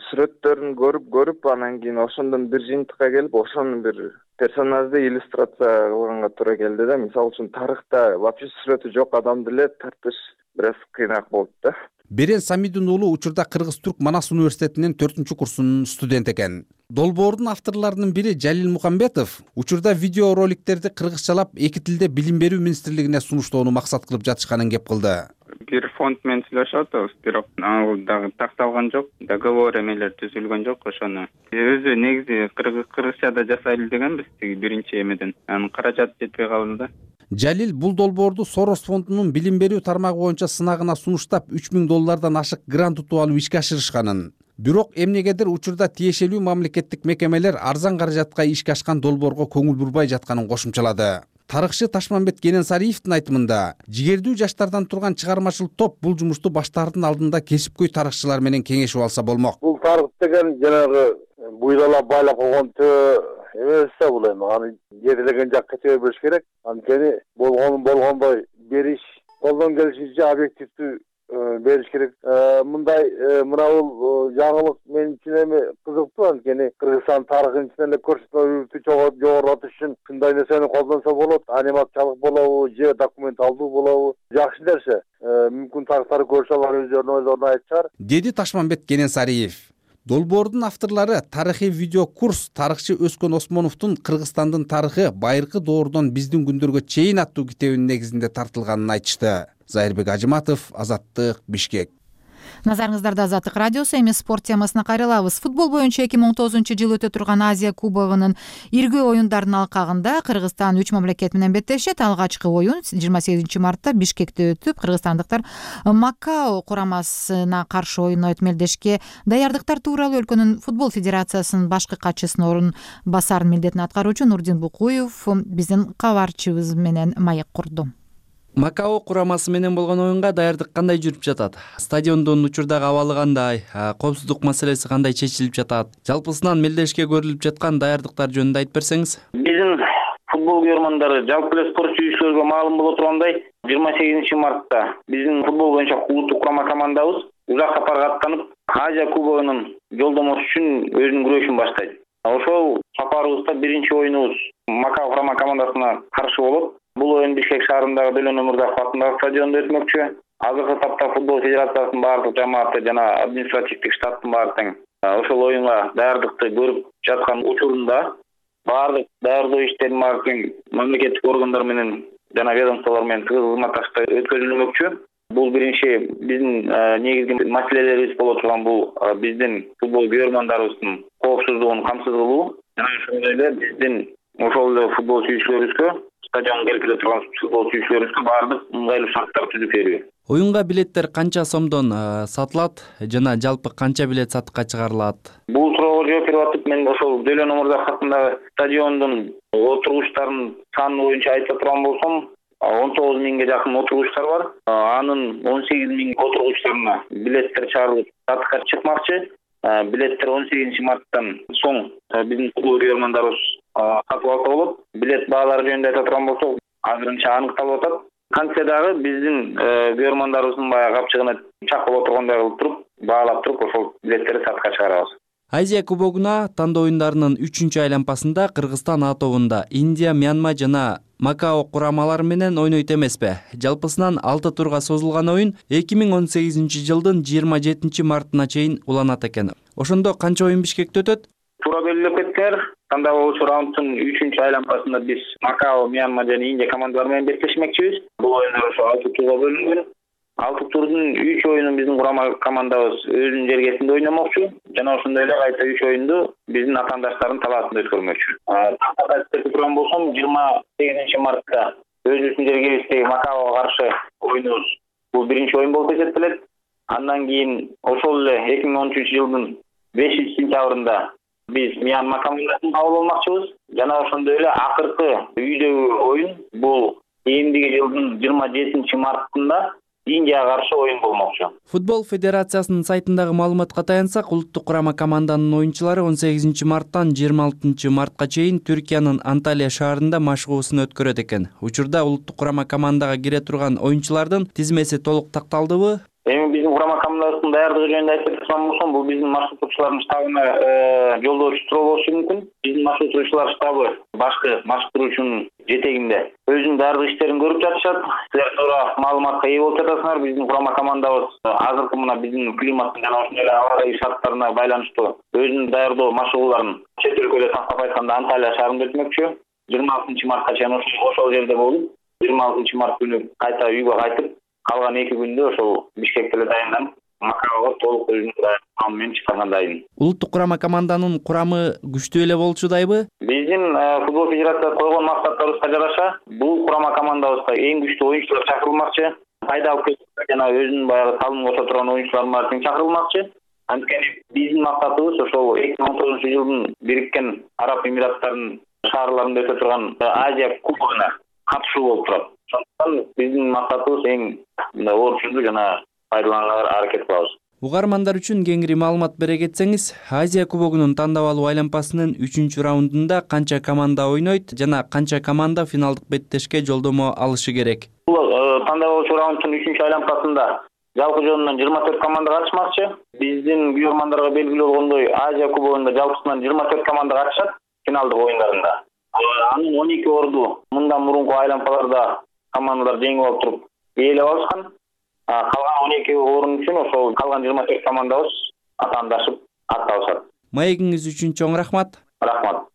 сүрөттөрүн көрүп көрүп анан кийин ошондон бир жыйынтыкка келип, ошону бир персонажды иллюстрация кылганга туура келди да. Мисалы үчүн тарыхта вообще сүрөтү жок адамды эле тартыш бир аз кыйынаак болду да. Берен Самидин уулу учурда Кыргыз-Түрк Манас университетинин төртүнчү курсунун студент экен. Долбоордун авторлорунун бири Жалил Мухамбетов учурда видеороликтерди кыргызчалап эки тилде билим берүү министрлигине сунуштоону максат кылып жатышканын кеп кылды. Бир фонд менен сүйлөшүп атабыз, бирок ал дагы такталган жок, договор эмелер түзүлгөн жок ошону. Өзү негизи кыргызчада жасайлы дегенбиз, тиги биринчи эмеден. Анын каражаты жетпей калды да. Жалил бул долбоорду Сорос фондунун билим берүү тармагы боюнча сынагына сунуштап үч миң доллардан ашык грант утуп алып ишке ашырышканын. Бирок эмнегедир учурда тиешелүү мамлекеттик мекемелер арзан каражатка ишке ашкан долбоорго көңүл бурбай жатканын кошумчалады. Тарыхчы Ташмамбет Кененсариевдин айтымында, жигердүү жаштардан турган чыгармачыл топ бул жумушту баштаардын алдында кесипкөй тарыхчылар менен кеңешип алса болмок. Бул тарых деген жанагы буйдалап байлап койгон эмес да бул эми. Аны жетилеген жакка чыгып бериш керек. Анткени болгон болгондой бериш, колдон келишинче объективдүү бериш керек. Мындай мына бул жаңылык мен үчүн эми кызыктуу, анткени Кыргызстан тарыхын ичинен эле көрсөтмөлөрдү жогорулатыш үчүн ушундай нерсени колдонсо болот. Анимациялык болобу же документалдуу болобу, жакшы нерсе. Мүмкүн тарыхтарды көрүшө алар өздөрүнүн ойлорун айтышар, деди Ташмамбет Кененсариев. Долбоордун авторлору тарыхый видео курс «Тарыхчы Өскөн Осмоновдун Кыргызстандын тарыхы байыркы доордон биздин күндөргө чейин» аттуу китебинин негизинде тартылганын айтышты. Зайырбек Ажыматов, Азаттык, Бишкек. Назарыңыздарда Азаттык радиосу. Эми спорт темасына кайрылабыз. Футбол боюнча эки миң он тогузунчу жылы өтө турган Азия кубогунун иргөө оюндарынын алкагында Кыргызстан үч мамлекет менен беттешет. Алгачкы оюн жыйырма сегизинчи мартта Бишкекте өтүп, кыргызстандыктар Макао курамасына каршы оюн өтмөлдешке даярдыктар тууралуу өлкөнүн футбол федерациясынын башкы катчысынын орун басарынын милдетин аткаруучу Нурдин Букуев биздин кабарчыбыз менен маек курду. Макао курамасы менен болгон оюнга даярдык кандай жүрүп жатат? Стадиондун учурдагы абалы кандай? Коопсуздук маселеси кандай чечилип жатат? Жалпысынан мелдешке көрүлүп жаткан даярдыктар жөнүндө айтып берсеңиз. Биздин футбол көрөрмандары жалпы эле спорт сүйүүчүлөргө маалым боло тургандай, жыйырма сегизинчи мартта биздин футбол боюнча улуттук курама командабыз узак сапарга аттанып, Азия кубогунун жолдомосу үчүн өзүнүн күрөшүн баштайт. Ошол сапарыбызда биринчи оюнубуз Макао курама командасына каршы болот. Бул оюн Бишкек шаарындагы Дөлөн Өмүрзаков атындагы стадиондо өтмөкчү. Азыркы тапта футбол федерациясынын баардык жамааты жана административдик штаттын баары тең ошол оюнга даярдыкты көрүп жаткан учурунда баардык даярдоо иштерин баары тең мамлекеттик органдар менен жана ведомстволор менен тыгыз кызматташта өткөрүлмөкчү. Бул биринчи биздин негизги маселелерибиз боло турган бул биздин футбол көрөрмандарыбыздын коопсуздугун камсыз кылуу жана ошондой эле биздин ошол эле футбол сүйүүчүлөрүбүзгө стадионго келип келе турган футбол сүйүүчүлөрүбүзгө баардык ыңгайлуу шарттар түзүп берүү. Оюнга билеттер канча сомдон сатылат жана жалпы канча билет сатыкка чыгарылат? Бул суроого жооп берип атып, мен ошол Дөлөн Өмүрзаков атындагы стадиондун отургучтарынын саны боюнча айта турган болсом, он тогуз миңге жакын отургучтар бар. Анын он сегиз миң отургучтарына билеттер чыгарылып сатыкка чыкмакчы. Билеттер он сегизинчи марттан соң биздин футбол көрөрмандарыбыз сатып алса болот. Билет баалары жөнүндө айта турган болсок, азырынча аныкталып атат. Кантсе дагы биздин көрөрмандарыбыздын баягы капчыгына чак боло тургандай кылып туруп, баалап туруп, ошол билеттерди сатыкка чыгарабыз. Азия кубогуна тандоо оюндарынын үчүнчү айланпасында Кыргызстан А тобунда Индия, Мьянма жана Макао курамалары менен ойнойт эмеспи? Жалпысынан алты турга созулган оюн эки миң он сегизинчи жылдын жыйырма жетинчи мартына чейин уланат экен. Ошондо канча оюн Бишкекте өтөт? Туура белгилеп кеткендер. Тандап алуучу раунддун үчүнчү айланпасында биз Макао, Мьянма жана Индия командалары менен беттешмекчибиз. Бул оюндар ошо алты турга бөлүнгөн. Алты турдун үч оюнун биздин курама командабыз өзүнүн жергесинде ойномокчу жана ошондой эле кайта үч оюнду биздин атаандаштардын талаасында өткөрмөкчү. Айтып турган болсом, жыйырма сегизинчи мартта өзүбүздүн жергебиздеги Макаого каршы оюнубуз бул биринчи оюн болуп эсептелет. Андан кийин ошол эле эки миң он үчүнчү жылдын бешинчи сентябрында биз Мьянма командасын кабыл алмакчыбыз жана ошондой эле акыркы үйдөгү оюн бул эмдиги жылдын жыйырма жетинчи мартында Индияга каршы оюн болмокчу. Футбол федерациясынын сайтындагы маалыматка таянсак, улуттук курама команданын оюнчулары он сегизинчи марттан жыйырма алтынчы мартка чейин Түркиянын Анталия шаарында машыгуусун өткөрөт экен. Учурда улуттук курама командага кире турган оюнчулардын тизмеси толук такталдыбы? Эми биздин курама командабыздын даярдыгы жөнүндө айтып турган болсом, бул биздин маршруттоочулардын штабына жолдоочу суроо болушу мүмкүн. Биздин маршруттоочулар штабы башкы маршруттоочунун жетегинде өзүнүн даярдык иштерин көрүп жатышат. Силер туура маалыматка ээ болуп жатасыңар. Биздин курама командабыз азыркы мына биздин климаттын жана ошондой эле аба ырайы шарттарына байланыштуу өзүнүн даярдоо машыгууларын чет өлкөдө тактап айтканда Анталия шаарында өтмөкчү. жыйырма алтынчы мартка чейин ошол жерде болуп, жыйырма алтынчы март күнү кайта үйгө кайтып, калган эки күндө ошол Бишкекте эле даянданып, Макаого толук өзүнүн даярдыгы менен чыкканга дайын. Улуттук курама команданын курамы күчтүү эле болчудайбы? Биздин футбол федерациясы койгон максаттарыбызга жараша бул курама командабызга эң күчтүү оюнчулар чакырылмакчы. Пайда алып келип жана өзүнүн баягы салым кошо турган оюнчулар баары тең чакырылмакчы. Анткени биздин максатыбыз ошол эки миң он тогузунчу жылдын Бириккен Араб Эмираттарынын шаарларында өтө турган Азия кубогуна катышуу болуп турат. Ошондуктан биздин максатыбыз эң мындай орчундуу жана пайдаланганга аракет кылабыз. Угармандар үчүн кеңири маалымат бере кетсеңиз, Азия кубогунун тандабалуу айланпасынын үчүнчү раундунда канча команда ойнойт жана канча команда финалдык беттешке жолдомо алышы керек? Бул тандабалуучу раунддун үчүнчү айланпасында жалпы жөнүнөн жыйырма төрт команда катышмакчы. Биздин көрөрмандарга белгилүү болгондой, Азия кубогунда жалпысынан жыйырма төрт команда катышат финалдык оюндарында. Анын он эки орду мындан мурунку айланпаларда командалар жеңип алып туруп ээлеп алышкан. Калган он эки орун үчүн ошол калган жыйырма төрт командабыз атаандашып атталышат. Маегиңиз үчүн чоң рахмат. Рахмат.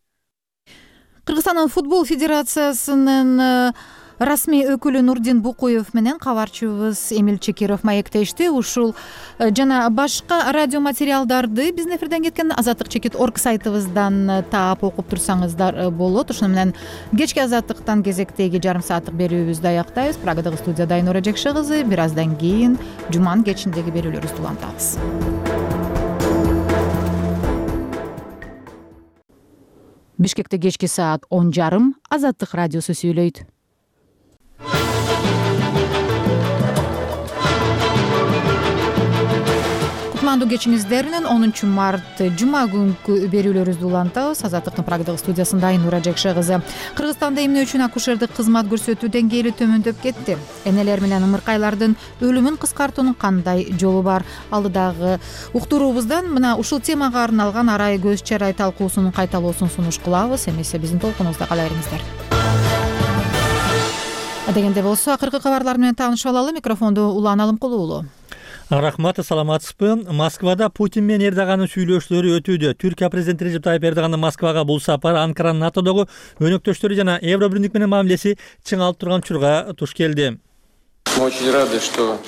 Кыргызстандын футбол федерациясынын расмий өкүлү Нурдин Букуев менен кабарчыбыз Эмил Чекиров маектешти. Ушул жана башка радио материалдарды биздин эфирден кеткен Азаттык чекит орг сайтыбыздан таап окуп турсаңыздар болот. Ошону менен кечки Азаттыктан кезектеги жарым сааттык берүүбүздү аяктайбыз. Прагадагы студияда Айнура Жекше кызы. Бир аздан кийин жуманын кечиндеги берүүлөрүбүздү улантабыз. Бишкекте кечки саат он жарым Азаттык радиосу сүйлөйт. Кутмандуу кечиңиздеринен онунчу март жума күнкү берүүлөрүбүздү улантабыз. Азаттыктын Прагадагы студиясында Айнура Жекше кызы. Кыргызстанда эмне үчүн акушердик кызмат көрсөтүү деңгээли төмөндөп кетти? Энелер менен ымыркайлардын өлүмүн кыскартуунун кандай жолу бар? Алдыдагы уктуруубуздан мына ушул темага арналган арай көз чарай талкуусунун кайталоосун сунуш кылабыз. Эмесе биздин толкунубузда кала бериңиздер. Дегенде болсо акыркы кабарлар менен таанышып алалы. Микрофонду Улан Алымкулуу уулу. Рахмат, саламатсызбы? Москвада Путин менен Эрдоганын сүйлөшүүлөрү өтүүдө. Түркия президенти Режеп Тайып Эрдогандын Москвага бул сапары Анкаранын НАТОдогу өнөктөштөрү жана Евробирлик менен мамилеси чыңалып турган учурга туш келди. Мы очень рады, что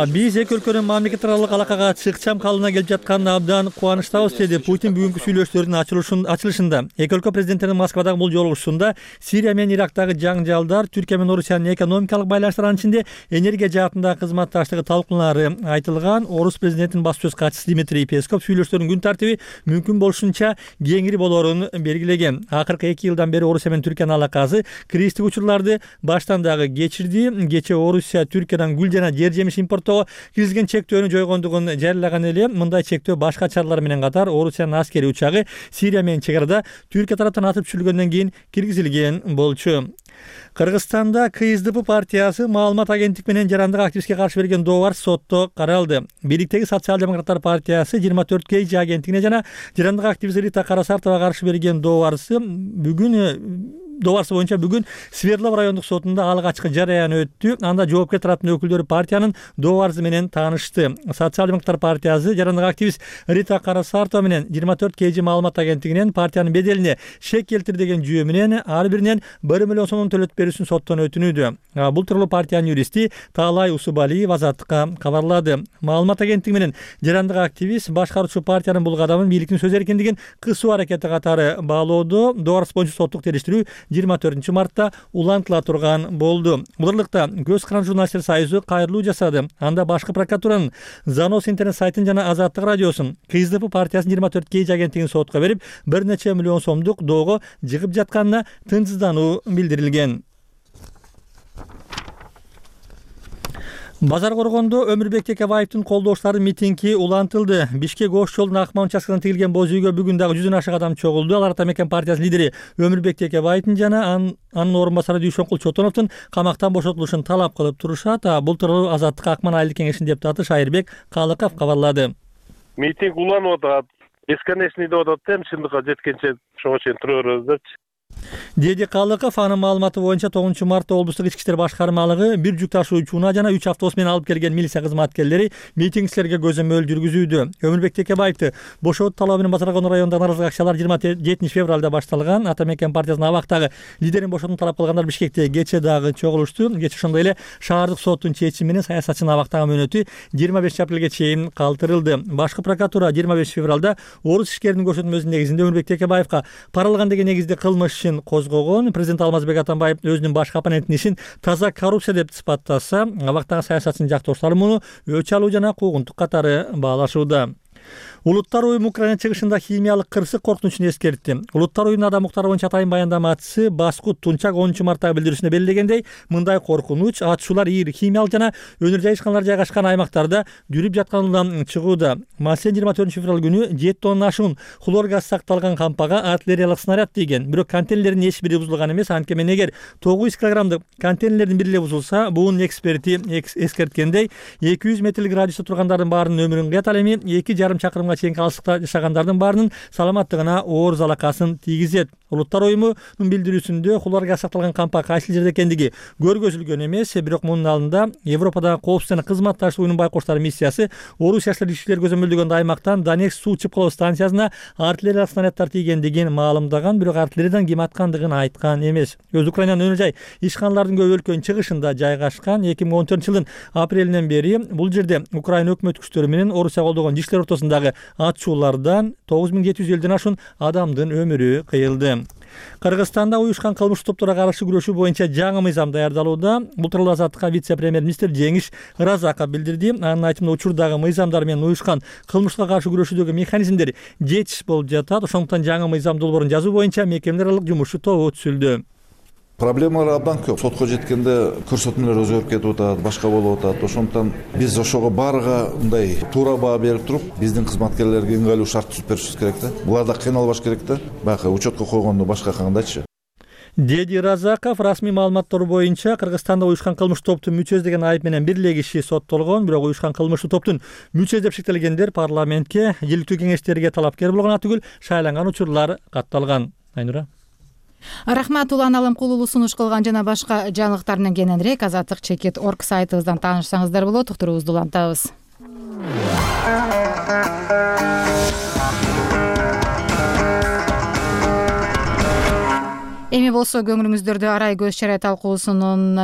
Биз эки өлкөнүн мамлекет аралык алакага чыкчам калыбына келип жатканына абдан кубанычтабыз, деди Путин бүгүнкү сүйлөшүүлөрдүн ачылышында. Эки өлкө президенттеринин Москвадагы бул жолугушуусунда Сирия менен Ирактагы жаңжалдар, Түркия менен Орусиянын экономикалык байланыштарынын ичинде энергия жаатындагы кызматташтыгы талкууланары айтылган. Орус президентинин баш сөз катчысы Дмитрий Песков сүйлөшүүлөрдүн күн тартиби мүмкүн болушунча кеңири болоорун белгилеген. Акыркы эки жылдан бери Орусия менен Түркиянын алакасы кризистик учурларды баштан дагы кечирди. Кечээ Орусия Түркиядан гүл жана жер жемиш импорттоого киргизген чектөөнү жойгондугун жарыялаган эле. Мындай чектөө башка чаралар менен катар Орусиянын аскерий учагы Сирия менен чек арада Түркия тараптан атып түшүрүлгөндөн кийин киргизилген болчу. Кыргызстанда КСДП партиясы маалымат агенттик менен жарандык активистке каршы берген доо бар сотто каралды. Бийликтеги социал-демократтар партиясы жыйырма төрт кей жи агенттигине жана жарандык активист Рита Карасартова каршы берген доо барысы бүгүн Добарсы боюнча бүгүн Свердлов райондук сотунда алгачкы жарыян өттү. Анда жоопкер тараптын өкүлдөрү партиянын доо барысы менен таанышты. Социал-демократтар партиясы жарандык активист Рита Карасартова менен жыйырма төрт кей жи маалымат агенттигинен партиянын беделине шек келтир деген жүйө менен ар биринен бир миллион сомдон төлөтүп берүүсүн соттон өтүнүүдө. Бул тууралуу партиянын юристи Таалай Усубалиев Азаттыкка кабарлады. Маалымат агенттиги менен жарандык активист башкаруучу партиянын бул кадамын бийликтин сөз эркиндигин кысуу аракети катары баалоодо доо барысы боюнча соттук териштирүү жыйырма төртүнчү мартта улантыла турган болду. Буларлыкта Көз каран журналисттер союзу кайрылуу жасады. Анда башкы прокуратуранын Занос интернет сайтын жана Азаттык радиосун КСДП партиясынын жыйырма төрт кей жи агенттигин сотко берип, бир нече миллион сомдук доого жыгып жатканына тынчсыздануу билдирилген. Базар коргондо Өмүрбек Текебаевдин колдоочуларынын митинги улантылды. Бишкек Ош жолунун Акман участкасынан тигилген боз үйгө бүгүн дагы жүздөн ашык адам чогулду. Алар Атамекен партиясынын лидери Өмүрбек Текебаевдин жана анын орун басары Дүйшөнкул Чотоновдун камактан бошотулушун талап кылып турушат. Бул тууралуу Азаттык Акман айылдык кеңешинин депутаты Шайырбек Калыков кабарлады. Митинг уланып атат, бесконечный деп атат да, чындыкка жеткенче ошого чейин тура беребиз депчи. Деди Калыков, анын маалыматы боюнча тогузунчу мартта облустук ички иштер башкармалыгы бир жүк ташуучуна жана үч автобус менен алып келген милиция кызматкерлери митингчилерге көзөмөл жүргүзүүдө. Өмүрбек Текебаевди бошотуу талабы менен Базар Коргондо районундагы нааразылык акциялар жыйырма жетинчи февралда башталган. Атамекен партиясынын абактагы лидерин бошотууну талап кылгандар Бишкекте кечээ дагы чогулушту. Кечээ ошондой эле шаардык соттун чечими менен саясатчынын абактагы мөөнөтү жыйырма бешинчи апрелге чейин калтырылды. Башкы прокуратура жыйырма бешинчи февралда орус ишкеринин көрсөтмөсүнүн негизинде Өмүрбек Текебаевга паралган деген негизде кылмыш ишин козгогон. Президент Алмазбек Атамбаев өзүнүн башкы оппонентинин ишин таза коррупция деп сыпаттаса, абактагы саясатчынын жактоочулары муну өч алуу жана куугунтук катары баалашууда. Улуттар уюму Украина чыгышында химиялык кырсык коркунучун эскертти. Улуттар уюмунун адам укуктары боюнча атайын баяндамачысы Баскут Тунчак онунчу марттагы билдирүүсүндө белгилегендей, мындай коркунуч атышуулар ийир химиялык жана өнөр жайышканалар жайгашкан аймактарда жүрүп жатканынан чыгууда. Маселен жыйырма төртүнчү февраль күнү жети тонна ашуун хлор газ сакталган кампага артиллериялык снаряд тийген. Бирок контейнерлердин эч бири бузулган эмес. Анткени эгер тогуз жүз килограммдык контейнерлердин бири эле бузулса, буунун эксперти эскерткендей эки жүз метрлик радиуста тургандардын баарынын өмүрүн кыят, ал эми эки жарым чакырымга чейинки алыстыкта жашагандардын баарынын саламаттыгына оор залакасын тийгизет. Улуттар уюмунун билдирүүсүндө куларга сакталган кампа кайсы жерде экендиги көргөзүлгөн эмес, бирок мунун алдында Европадагы коопсуз жана кызматташтык уюмунун байкоштор миссиясы Орусиячылар ишчилер көзөмөлдөгөн аймактан Донецк суу чыпкылоо станциясына артиллериялык снаряддар тийгендигин маалымдаган, бирок артиллериядан ким аткандыгын айткан эмес. Өз Украинанын өнөр жай ишканалардын көп өлкөнүн чыгышында жайгашкан. эки миң он төртүнчү жылдын апрелинен бери бул жерде Украина өкмөт күчтөрү менен Орусия колдогон ишчилер ортосундагы атышуулардан тогуз миң жети жүз элден ашуун адамдын өмүрү кыйылды. Кыргызстанда уюшкан кылмыштуу топторго каршы күрөшүү боюнча жаңы мыйзам даярдалууда. Бул тууралуу Азаттыкка вице-премьер-министр Жеңиш Разаков билдирди. Анын айтымында учурдагы мыйзамдар менен уюшкан кылмышка каршы күрөшүүдөгү механизмдер жетиш болуп жатат. Ошондуктан жаңы мыйзам долбоорун жазуу боюнча мекемелер аралык жумуш тобу түзүлдү. Проблемалар абдан көп. Сотко жеткенде көрсөтмөлөр өзгөрүп кетип атат, башка болуп атат. Ошондуктан биз ошого баарыга мындай туура баа берип туруп, биздин кызматкерлерге ыңгайлуу шарт түзүп беришибиз керек да. Булар да кыйналбаш керек да. Баягы учетко койгондо башка кандайчы? Деди Разаков расмий маалыматтар боюнча Кыргызстанда уюшкан кылмыштуу топтун мүчөсү деген айып менен бир эле киши соттолгон, бирок уюшкан кылмыштуу топтун мүчөсү деп шектелгендер парламентке, иликтүү кеңештерге талапкер болгон түгүл шайланган учурлар катталган. Айнура. Рахмат. Улан Алымкулуу сунуш кылган жана башка жаңылыктар менен кененирээк азаттык чекит точка орг сайтыбыздан таанышсаңыздар болот. Уктуруубузду улантабыз. Эми болсо көңүлүңүздөрдү Арай көз чарай талкуусунун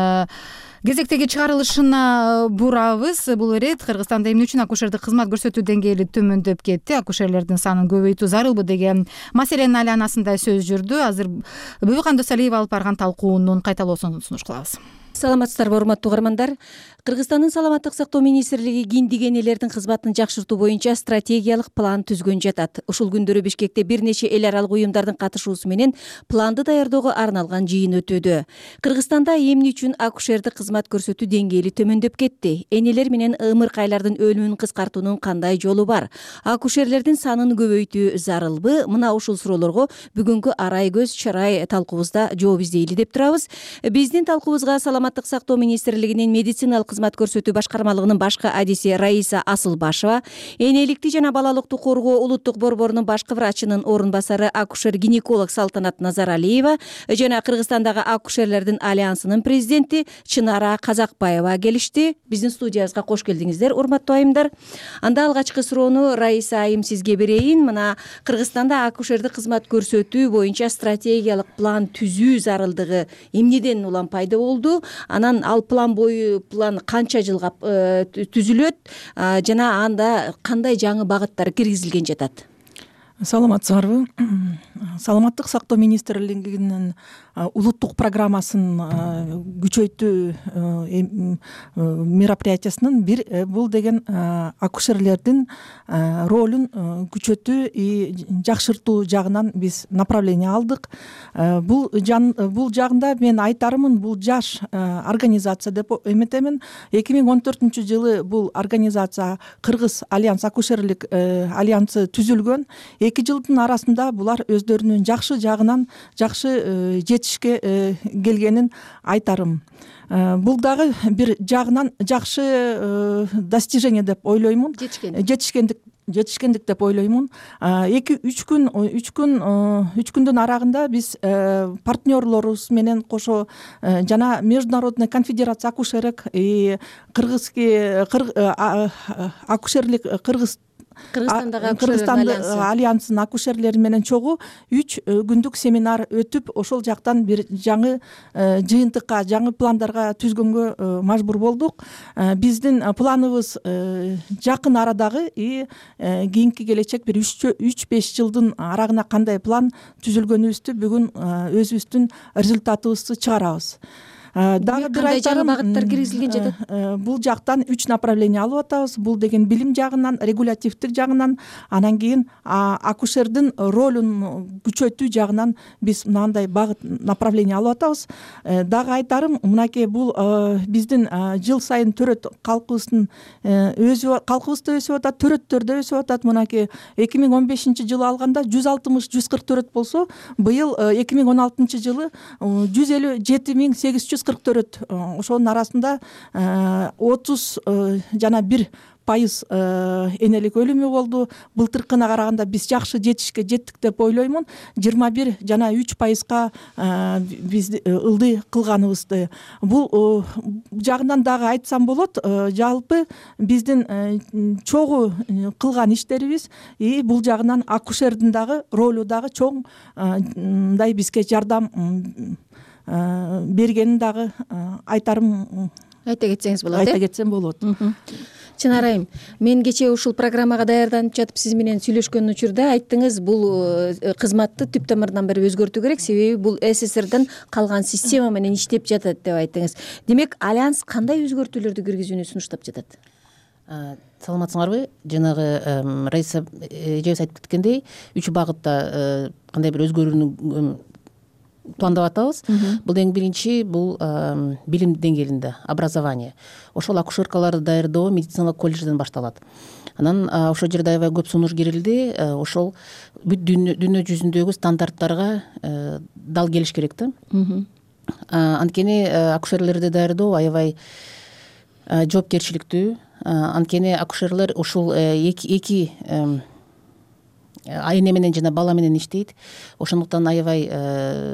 кезектеги чыгарылышына бурабыз. Бул ирет Кыргызстанда эмне үчүн акушердик кызмат көрсөтүү деңгээли төмөндөп кетти, акушерлердин санын көбөйтүү зарылбы деген маселенин айланасында сөз жүрдү. Азыр Бүбүкан Досалиева алып барган талкуунун кайталоосун сунуш кылабыз. Саламатсыздарбы, урматтуу угармандар. Кыргызстандын саламаттык сактоо министрлиги кийиндик энелердин кызматын жакшыртуу боюнча стратегиялык план түзгөн жатат. Ушул күндөрү Бишкекте бир нече эл аралык уюмдардын катышуусу менен планды даярдөөгө арналган жыйын өтүүдө. Кыргызстанда эмне үчүн акушердик кызмат көрсөтүү деңгээли төмөндөп кетти? Энелер менен ымыркайлардын өлүмүн кыскартуунун кандай жолу бар? Акушерлердин санын көбөйтүү зарылбы? Мына ушул суроолорго бүгүнкү Арай көз чарай талкуубузда жооп издейли деп турабыз. Биздин талкуубузга Саламаттык сактоо министрлигинин медициналык кызмат көрсөтүү башкармалыгынын башкы адиси Раиса Асылбашева, энеликти жана балалыктуу коргоо улуттук борборунун башкы врачынын орун басары акушер-гинеколог Салтанат Назаралиева жана Кыргызстандагы акушерлердин альянсынын президенти Чынара Казакбаева келишти. Биздин студиябызга кош келдиңиздер, урматтуу айымдар. Анда алгачкы суроону Раиса айым сизге берейин. Мына Кыргызстанда акушердик кызмат көрсөтүү боюнча стратегиялык план түзүү зарылдыгы эмнеден улам пайда болду? Анан ал план бою план канча жылга түзүлөт жана анда кандай жаңы багыттар киргизилген жатат? Саламатсыздарбы? Саламаттык сактоо министрлигинин улуттук программасын күчөйтүү мероприятиясынын бир бул деген акушерлердин ролун күчөтүү и жакшыртуу жагынан биз направление алдык. Бул бул жагында мен айтарымын, бул жаш организация деп эметемин. эки миң он төртүнчү жылы бул организация Кыргыз альянс акушерлик альянсы түзүлгөн. эки жылдын арасында булар өздөрүнүн жакшы жагынан жакшы жетишке келгенин айтарым. Бул дагы бир жагынан жакшы достижение деп ойлоймун. Жетишкендик жетишкендик деп ойлоймун. эки үч күн үч күн үч күндүн арагында биз партнерлорубуз менен кошо жана Международная конфедерация акушерок и кыргызский акушерлик кыргыз Кыргызстан альянсынын акушерлери менен чогуу үч күндүк семинар өтүп, ошол жактан бир жаңы жыйынтыкка, жаңы пландарга түзгөнгө мажбур болдук. Биздин планыбыз жакын арадагы и кийинки келечек бир үч беш жылдын арагына кандай план түзүлгөнүбүздү бүгүн өзүбүздүн результатыбызды чыгарабыз. Дагы бир айтарым, багыттар киргизилген жатат. Бул жактан үч направление алып атабыз. Бул деген билим жагынан, регулятивдик жагынан, анан кийин акушердин ролун күчөтүү жагынан биз мынандай багыт направление алып атабыз. Дагы айтарым, мынакей бул биздин жыл сайын төрөт калкыбыздын өзү калкыбыз да өсүп атат, төрөттөр да өсүп атат. Мынакей эки миң он бешинчи жылы алганда жүз алтымыш жүз кырк төрөт болсо, быйыл эки миң он алтынчы жылы жүз элүү жети миң сегиз жүз кырк төрөт. Ошонун арасында отуз жана бир пайыз энелик өлүмү болду. Былтыркына караганда биз жакшы жетишке жеттик деп ойлоймун. жыйырма бир жана үч пайызга биз ылдый кылганыбызды. Бул жагынан дагы айтсам болот. Жалпы биздин чогуу кылган иштерибиз и бул жагынан акушердин дагы ролу дагы чоң мындай бизге жардам бергенин дагы айтарым. Айта кетсеңиз болот. Айта кетсем болот. Чынар айым, мен кечээ ушул программага даярданып жатып сиз менен сүйлөшкөн учурда айттыңыз, бул кызматты түп тамырынан бери өзгөртүү керек, себеби бул СССРдан калган система менен иштеп жатат деп айттыңыз. Демек, Альянс кандай өзгөртүүлөрдү киргизүүнү сунуштап жатат? Саламатсыңарбы? Жанагы Раиса эжебиз айтып кеткендей, үч багытта кандай бир өзгөрүүнү пландап атабыз. Бул эң биринчи бул билим деңгээлинде, образование. Ошол акушеркаларды даярдоо медициналык колледжден башталат. Анан ошол жерде аябай көп сунуш кирилди. Ошол бүт дүйнө жүзүндөгү стандарттарга дал келиш керек да. Анткени акушерлерди даярдоо аябай жоопкерчиликтүү. Анткени акушерлер ушул эки эне менен жана бала менен иштейт. Ошондуктан аябай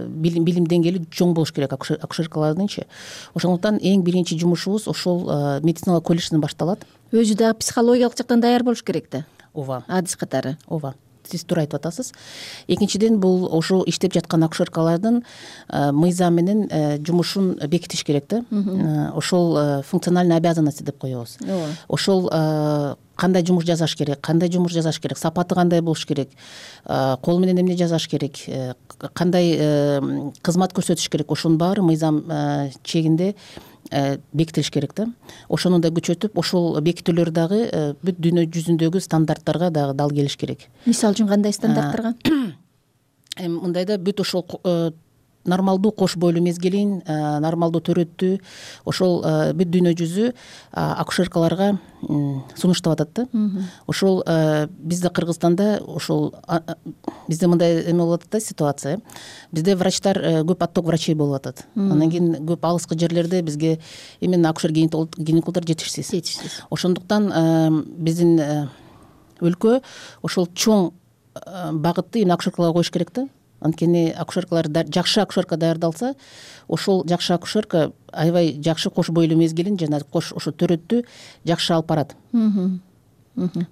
билим билим деңгээли чоң болуш керек акушеркалардынчы. Ошондуктан эң биринчи жумушубуз ошол медициналык колледжден башталат. Өзү дагы психологиялык жактан даяр болуш керек да. Ооба. Адис катары. Ооба. Сиз туура айтып атасыз. Экинчиден, бул ошол иштеп жаткан акушеркалардын мыйзам менен жумушун бекитиш керек да. Ошол функциональный обязанности деп коебуз. Ошол кандай жумуш жасаш керек, кандай жумуш жасаш керек, сапаты кандай болуш керек, кол менен эмне жасаш керек, кандай кызмат көрсөтүш керек, ошонун баары мыйзам чегинде бекитилиш керек да. Ошону да күчөтүп, ошол бекитүүлөр дагы бүт дүйнө жүзүндөгү стандарттарга дагы дал келиш керек. Мисалы үчүн кандай стандарттарга? Эми мындайда бүт ошол нормалдуу кош бойлуу мезгилин, нормалдуу төрөттү ошол бүт дүйнө жүзү акушеркаларга сунуштап атат да. Ошол бизде Кыргызстанда ошол бизде мындай эме болуп атат да ситуация. Бизде врачтар көп отток врачей болуп атат. Андан кийин көп алыскы жерлерде бизге именно акушер гинекологдор жетишсиз. Жетишсиз. Ошондуктан биздин өлкө ошол чоң багытты именно акушеркаларга коюш керек да. Анткени акушеркалар жакшы акушерка даярдалса, ошол жакшы акушерка аябай жакшы кош бойлуу мезгилин жана кош ошо төрөттү жакшы алып барат.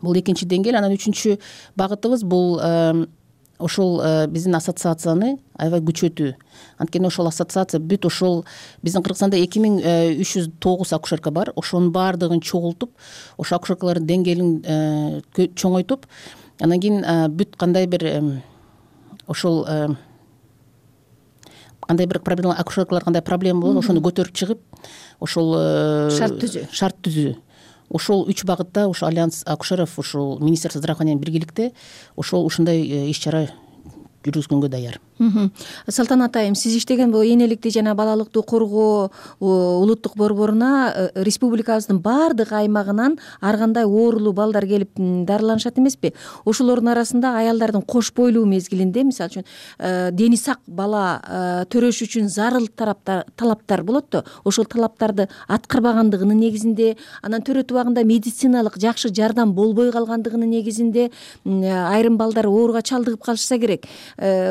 Бул экинчи деңгээл. Анан үчүнчү багытыбыз бул ошол биздин ассоциацияны аябай күчөтүү. Анткени ошол ассоциация бүт ошол биздин Кыргызстанда эки миң үч жүз тогуз акушерка бар. Ошонун баардыгын чогултуп, ошол акушеркалардын деңгээлин чоңойтуп, анан кийин бүт кандай бир ошол кандай бир проблема, акушеркалар кандай проблема болот, ошону көтөрүп чыгып, ошол шарт түзүү. Шарт түзүү. Ошол үч багытта ошол Альянс акушеров ушул Министерство здравоохранения биргеликте ошол ушундай иш-чара жүргүзгөнгө даяр. Салтанат айым, сиз иштеген бул энеликти жана балалыкты коргоо улуттук борборуна республикабыздын баардык аймагынан ар кандай оорулуу балдар келип дарыланышат эмеспи? Ошолордун арасында аялдардын кош бойлуу мезгилинде, мисалы үчүн дени сак бала төрөш үчүн зарыл талаптар болот да, ошол талаптарды аткарбагандыгынын негизинде, анан төрөтүп убагында медициналык жакшы жардам болбой калгандыгынын негизинде айрым балдар ооруга чалдыгып калышса керек.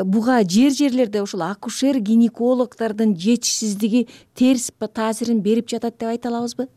Буга жер жерлерде ошол акушер гинекологдордун жетишсиздиги терс таасирин берип жатат деп айта алабызбы?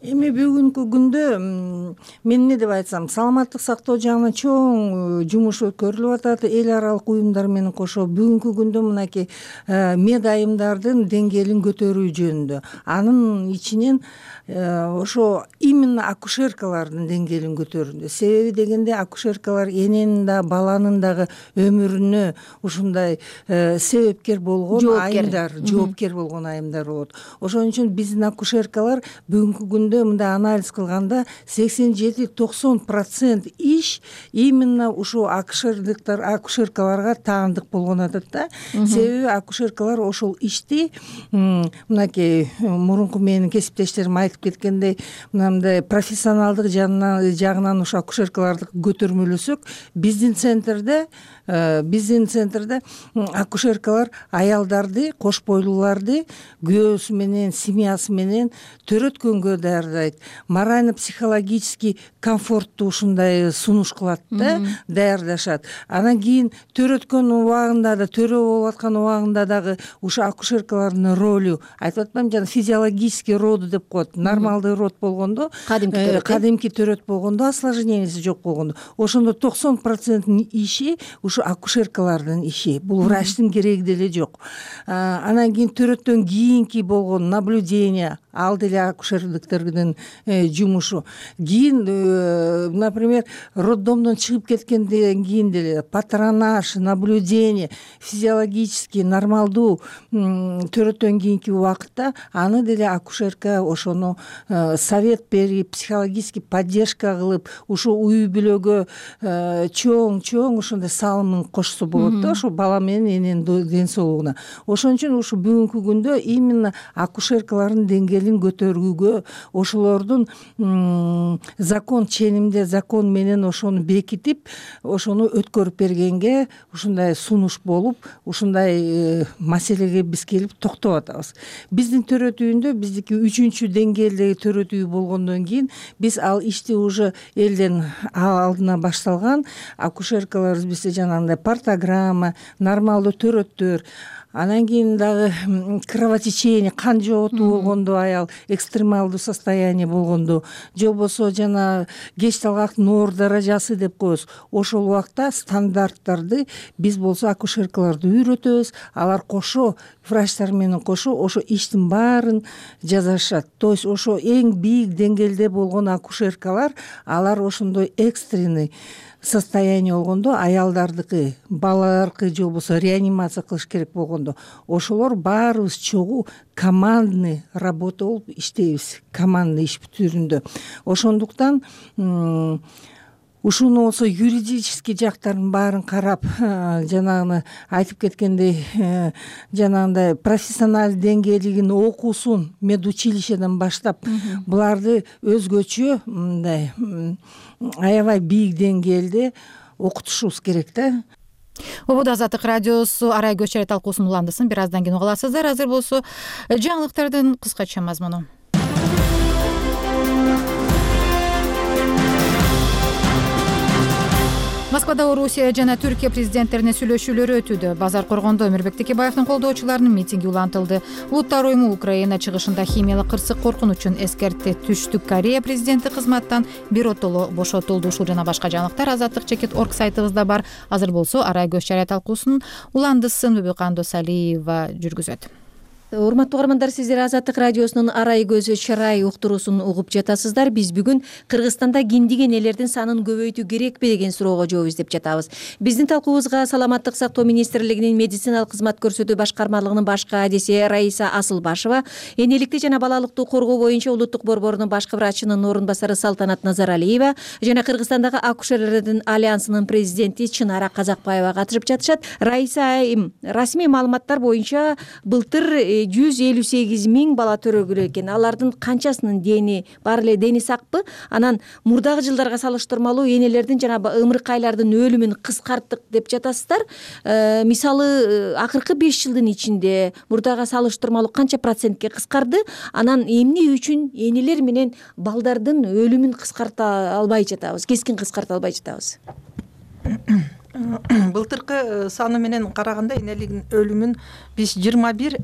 Эми бүгүнкү күндө мен эмне деп айтсам, саламаттык сактоо жагынан чоң жумуш өткөрүлүп атат эл аралык уюмдар менен кошо. Бүгүнкү күндө мынакей мед айымдардын деңгээлин көтөрүү жөнүндө, анын ичинен ошо именно акушеркалардын деңгээлин көтөрүүдө. Себеби дегенде акушеркалар эненин да баланын дагы өмүрүнө ушундай себепкер болгон айымдар, жоопкер болгон айымдар болот. Ошон үчүн биздин акушеркалар бүгүнкү күндө мындай анализ кылганда сексен жети токсон процент иш именно ушул акушерликтер акушеркаларга таандык болгон атат да. Себеби акушеркалар ошол ишти мынакей мурунку менин кесиптештерим айтып кеткендей, мындай профессионалдык жагынан ошо акушеркаларды көтөрмөлөсөк, биздин центрде биздин центрде акушеркалар аялдарды, кош бойлууларды күйөөсү менен, семьясы менен төрөткөнгө даярдайт, морально психологический комфортту ушундай сунуш кылат да, даярдашат. Анан кийин төрөткөн убагында да, төрө болуп аткан убагында дагы ушу акушеркалардын ролу, айтып атпаймынбы, жана физиологический роды деп коет. Нормалдуу род болгондо, кадимки төрөт болгондо, осложненияси жок болгондо, ошондо токсон проценттин иши ушу акушеркалардын иши. Бул врачтын кереги деле жок. Анан кийин төрөттөн кийинки болгон наблюдение, ал деле акушерликтердин жумушу. Кийин, например, роддомдон чыгып кеткенден кийин деле патронаж, наблюдение, физиологический нормалдуу төрөттөн кийинки убакытта аны деле акушерка ошону совет берип, психологический поддержка кылып, ушу үй бүлөгө чоң-чоң ошондой салымын кошсо болот да, ошо бала менен эненин ден соолугуна. Ошон үчүн ушу бүгүнкү күндө именно акушеркалардын деңгээлин көтөрүүгө, ошолордун закон ченимде, закон менен ошону бекитип, ошону өткөрүп бергенге ушундай сунуш болуп, ушундай маселеге биз келип токтоп атабыз. Биздин төрөт үйүндө, биздики үчүнчү деңгээлдеги төрөт үй болгондон кийин биз ал ишти уже элден алдына башталган, акушеркаларыбыз бизде жанагындай портограмма, нормалдуу төрөттөр, анан кийин дагы кровотечение, кан жоготуу болгондо, аял экстремалдуу состояние болгондо, же болбосо жана кеч талгактын оор даражасы деп коебуз. Ошол убакта стандарттарды биз болсо акушеркаларды үйрөтөбүз, алар кошо врачтар менен кошо ошо иштин баарын жасашат. То есть ошо эң бийик деңгээлде болгон акушеркалар, алар ошондой экстренный состояние болгондо, аялдардыкы, балалардыкы же болбосо реанимация кылыш керек болгондо, ошолор баарыбыз чогуу командный работа болуп иштейбиз, командный иш түрүндө. Ошондуктан ушуну болсо юридический жактарын баарын карап, жанагыны айтып кеткендей, жанагындай профессионалдуу деңгээлигин окуусун медучилищеден баштап, буларды өзгөчө мындай аябай бийик деңгээлде окутушубуз керек да. Убуду Азаттык радиосу арай көчөрө талкуусунун уландысын бир аздан кийин уга аласыздар. Азыр болсо жаңылыктардын кыскача мазмуну. Москвада Орусия жана Түркия президенттеринин сүйлөшүүлөрү өтүүдө. Базар коргондо Өмүрбек Текебаевдин колдоочуларынын митинги улантылды. Улуттар уюму Украина чыгышында химиялык кырсык коркунучун эскертти. Түштүк Корея президенти кызматтан биротоло бошотулду. Ушул жана башка жаңылыктар азаттык чекит орг сайтыбызда бар. Азыр болсо арай көч жарыя талкуусунун уландысын Бүбүкан Досалиева жүргүзөт. Урматтуу угармандар, сиздер Азаттык радиосунун арай көзү чарай уктуруусун угуп жатасыздар. Биз бүгүн Кыргызстанда киндиген элердин санын көбөйтүү керекпи деген суроого жооп издеп жатабыз. Биздин талкуубузга Саламаттык сактоо министрлигинин медициналык кызмат көрсөтүү башкармалыгынын баш кадиси Раиса Асылбашева, энеликти жана балалыкты коргоо боюнча улуттук борборунун башкы врачынын орун басары Салтанат Назаралиева жана Кыргызстандагы акушерлердин альянсынын президенти Чынара Казакбаева катышып жатышат. Раиса айым, расмий маалыматтар боюнча былтыр жүз элүү сегиз миң бала төрөлгөн экен. Алардын канчасынын дени бар эле, дени сакпы? Анан мурдагы жылдарга салыштырмалуу энелердин жана ымыркайлардын өлүмүн кыскарттык деп жатасыздар. Э, мисалы акыркы беш жылдын ичинде мурдага салыштырмалуу канча процентке кыскарды? Анан эмне үчүн энелер менен балдардын өлүмүн кыскарта албай жатабыз, кескин кыскарта албай жатабыз? Былтыркы саны менен караганда энеликтин өлүмүн биз жыйырма бир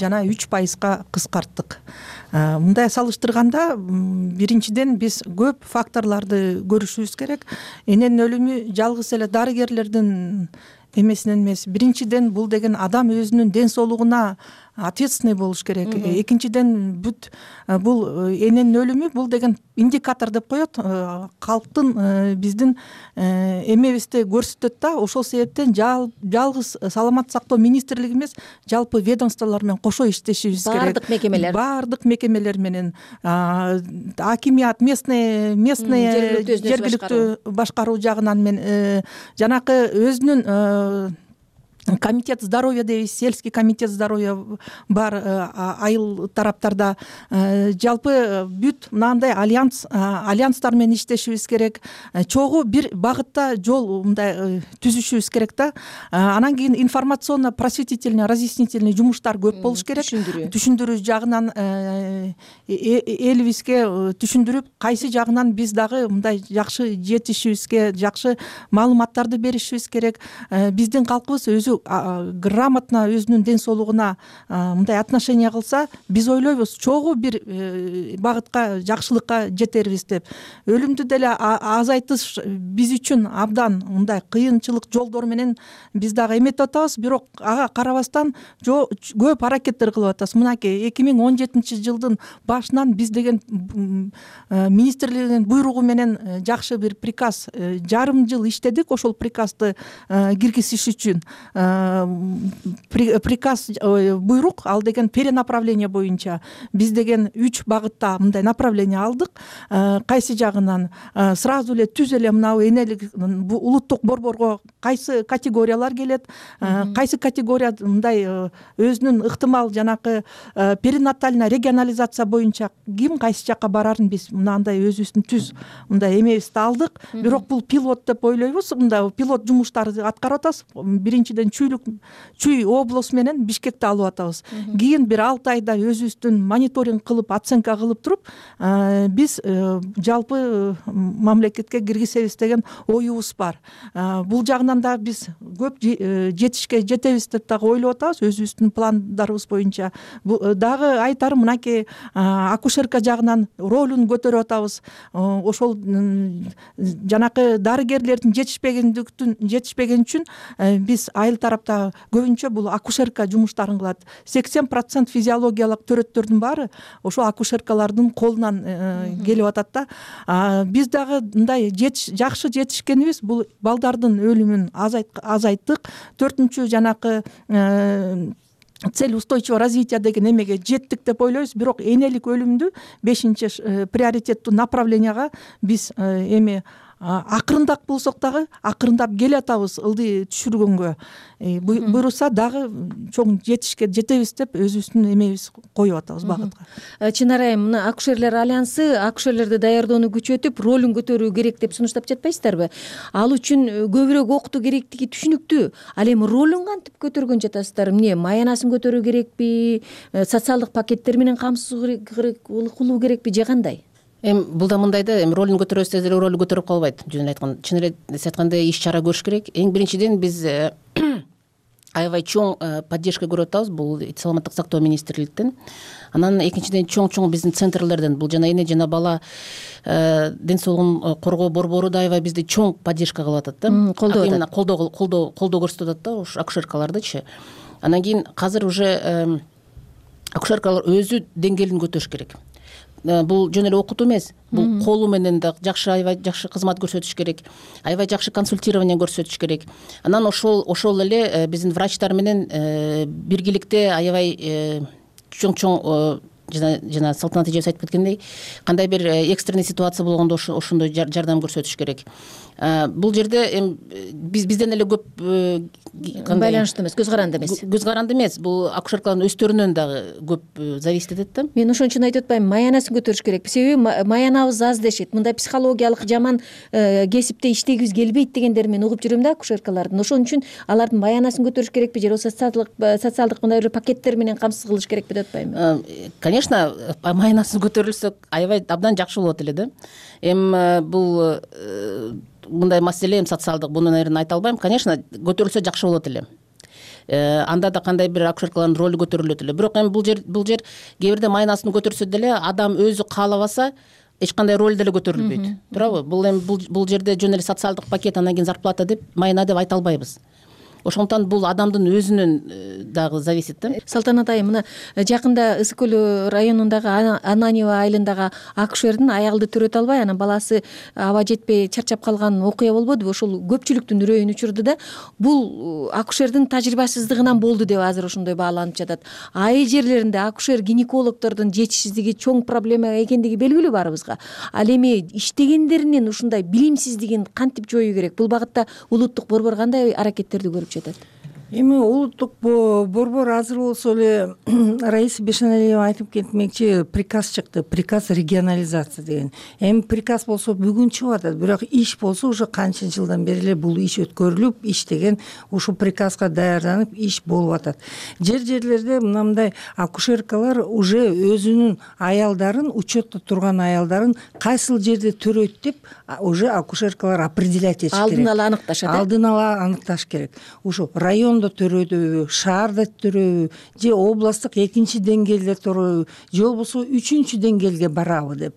жана үч пайызга кыскарттык. Мындай салыштырганда, биринчиден биз көп факторлорду көрүшүбүз керек. Эненин өлүмү жалгыз эле дарыгерлердин эмесинен эмес. Биринчиден бул деген адам өзүнүн ден соолугуна ответственный болуш керек. Экинчиден бүт бул эненин өлүмү бул деген индикатор деп коет. Калктын биздин эмебизди көрсөтөт да. Ошол себептен жалгыз саламаттык сактоо министрлиги эмес, жалпы ведомстволор менен кошо иштешибиз керек. Бардык мекемелер. Бардык мекемелер менен, акимият, местный, местный жергиликтүү башкаруу жагынан мен жанакы өзүнүн комитет здоровья дейбиз, сельский комитет здоровья бар айыл тараптарда. Жалпы бүт мынандай альянс альянстар менен иштешибиз керек. Чогуу бир багытта жол мындай түзүшүбүз керек да. Анан кийин информационно просветительный разъяснительный жумуштар көп болуш керек. Түшүндүрүү жагынан элибизге түшүндүрүп, кайсы жагынан биз дагы мындай жакшы жетишибизге, жакшы маалыматтарды беришибиз керек. Биздин калкыбыз өзү грамотно өзүнүн ден соолугуна мындай отношение кылса, биз ойлойбуз чогуу бир багытка жакшылыкка жетербиз деп. Өлүмдү деле азайтыш биз үчүн абдан мындай кыйынчылык жолдор менен биз дагы эметип атабыз, бирок ага карабастан көп аракеттер кылып атабыз. Мынакей эки миң он жетинчи жылдын башынан биз деген министрлигинин буйругу менен жакшы бир приказ жарым жыл иштедик, ошол приказды киргизиш үчүн. Приказ буйрук, ал деген перенаправление боюнча биз деген үч багытта мындай направление алдык. Кайсы жагынан сразу эле түз эле мынау энелик улуттук борборго кайсы категориялар келет, кайсы категория мындай өзүнүн ыктымал жанакы перинатальная регионализация боюнча ким кайсы жакка барарын биз мынандай өзүбүздүн түз мындай эмебизди алдык. Бирок бул пилот деп ойлойбуз. Мындай пилот жумуштарды аткарып атабыз. Биринчиден Чүйлүк Чүй облусу менен Бишкекти алып атабыз. Кийин бир алты айда өзүбүздүн мониторинг кылып, оценка кылып туруп, биз жалпы мамлекетке киргизебиз деген оюбуз бар. Бул жагынан да биз көп жетишке жетебиз деп дагы ойлоп атабыз өзүбүздүн пландарыбыз боюнча. Дагы айтарым, мынакей акушерка жагынан ролун көтөрүп атабыз. Ошол жанакы дарыгерлердин жетишпегендиктин жетишпеген үчүн биз айыл тарапта көбүнчө бул акушерка жумуштарын кылат. сексен процент физиологиялык төрөттөрдүн баары ошо акушеркалардын колунан келип атат да. Биз дагы мындай жакшы жетишкенибиз, бул балдардын өлүмүн азайттык. Төртүнчү жанакы цель устойчивого развития деген эмеге жеттик деп ойлойбуз. Бирок энелик өлүмдү бешинчи приоритеттүү направленияга биз эми акырындап болсок дагы акырындап келатабыз ылдый түшүргөнгө. Буйруса дагы чоң жетишке жетебиз деп өзүбүздүн эмебиз коюп атабыз багытка. Чынар айым, мына акушерлер альянсы акушерлерди даярдоону күчөтүп, ролун көтөрүү керек деп сунуштап жатпайсыздарбы? Ал үчүн көбүрөөк окутуу керектиги түшүнүктүү. Ал эми ролун кантип көтөргөн жатасыздар? Эмне маянасын көтөрүү керекпи? Социалдык пакеттер менен камсыз кылуу керекпи же кандай? Эми бул да мындай да, эми ролун көтөрөбүз деле ролу көтөрүп калбайт. Жөн эле айткан, чын эле айтканда иш чара көрүш керек. Эң биринчиден биз аябай чоң поддержка көрүп атабыз бул саламаттык сактоо министрликтен. Анан экинчиден чоң-чоң биздин центрлерден, бул жана эне жана бала ден соолугун коргоо борбору да аябай бизди чоң поддержка кылып атат да. Колдоп атат. Колдоо колдоо колдоо көрсөтүп атат да ушу акушеркалардычы. Анан кийин азыр уже акушеркалар өзү деңгээлин көтөрүш керек. Бул жөн эле окутуу эмес, бул колу менен да жакшы аябай жакшы кызмат көрсөтүш керек, аябай жакшы консультирование көрсөтүш керек. Анан ошол ошол эле биздин врачтар менен биргеликте аябай чоң-чоң жана жана Салтанат эжебиз айтып кеткендей, кандай бир экстренный ситуация болгондо ошондой жардам көрсөтүш керек. Бул жерде эми биз бизден эле көп байланыштуу эмес, көз каранды эмес. Көз каранды эмес, бул акушеркалардын өздөрүнөн дагы көп зависит этет да. Мен ошон үчүн айтып атпаймынбы, маянасын көтөрүш керек. Себеби маянабыз аз дешет. Мындай психологиялык жаман кесипте иштегибиз келбейт дегендерин мен угуп жүрөм да акушеркалардын. Ошон үчүн алардын маянасын көтөрүш керекпи же социалдык социалдык мындай бир пакеттер менен камсыз кылыш керекпи деп атпаймынбы? Конечно, маянасын көтөрүлсө аябай абдан жакшы болот эле да. Эми бул мындай маселе эми социалдык, буну наверное айта албайм. Конечно, көтөрүлсө жакшы болот эле. Анда да кандай бир акушеркалардын ролу көтөрүлөт эле. Бирок эми бул жер бул жер кээ бирде маянасын көтөрсө деле адам өзү каалабаса эч кандай роль деле көтөрүлбөйт. Туурабы? Бул эми бул жерде жөн эле социалдык пакет, анан кийин зарплата деп, майна деп айта албайбыз. Ошондуктан бул адамдын өзүнөн дагы зависит да. Салтанат айым, мына жакында Ысык көл районундагы Ананьево айылындагы акушердин аялды төрөтө албай, анан баласы аба жетпей чарчап калган окуя болбодубу? Ошол көпчүлүктүн үрөйүн учурду да. Бул акушердин тажрыйбасыздыгынан болду деп азыр ошондой бааланып жатат. Айыл жерлеринде акушер гинекологдордун жетишсиздиги чоң проблема экендиги белгилүү баарыбызга. Ал эми иштегендеринин ушундай билимсиздигин кантип жоюу керек? Бул багытта улуттук борбор кандай аракеттерди көрүп жатат? эми улуттук борбор азыр болсо эле Раиса Бешеналиева айтып кетмекчи, приказ чыкты, приказ регионализация деген. Эми приказ болсо бүгүн чыгып атат, бирок иш болсо уже канча жылдан бери эле бул иш өткөрүлүп, иштеген, ушул приказга даярданып иш болуп атат. Жер жерлерде мындай акушеркалар уже өзүнүн аялдарын, учетто турган аялдарын кайсыл жерде төрөйт деп уже акушеркалар определять этиш керек. Алдын ала аныкташат. Алдын ала аныкташ керек. Ушу райондо төрөйбү, шаарда төрөйбү, же областтык экинчи деңгээлде төрөйбү, же болбосо үчүнчү деңгээлге барабы деп.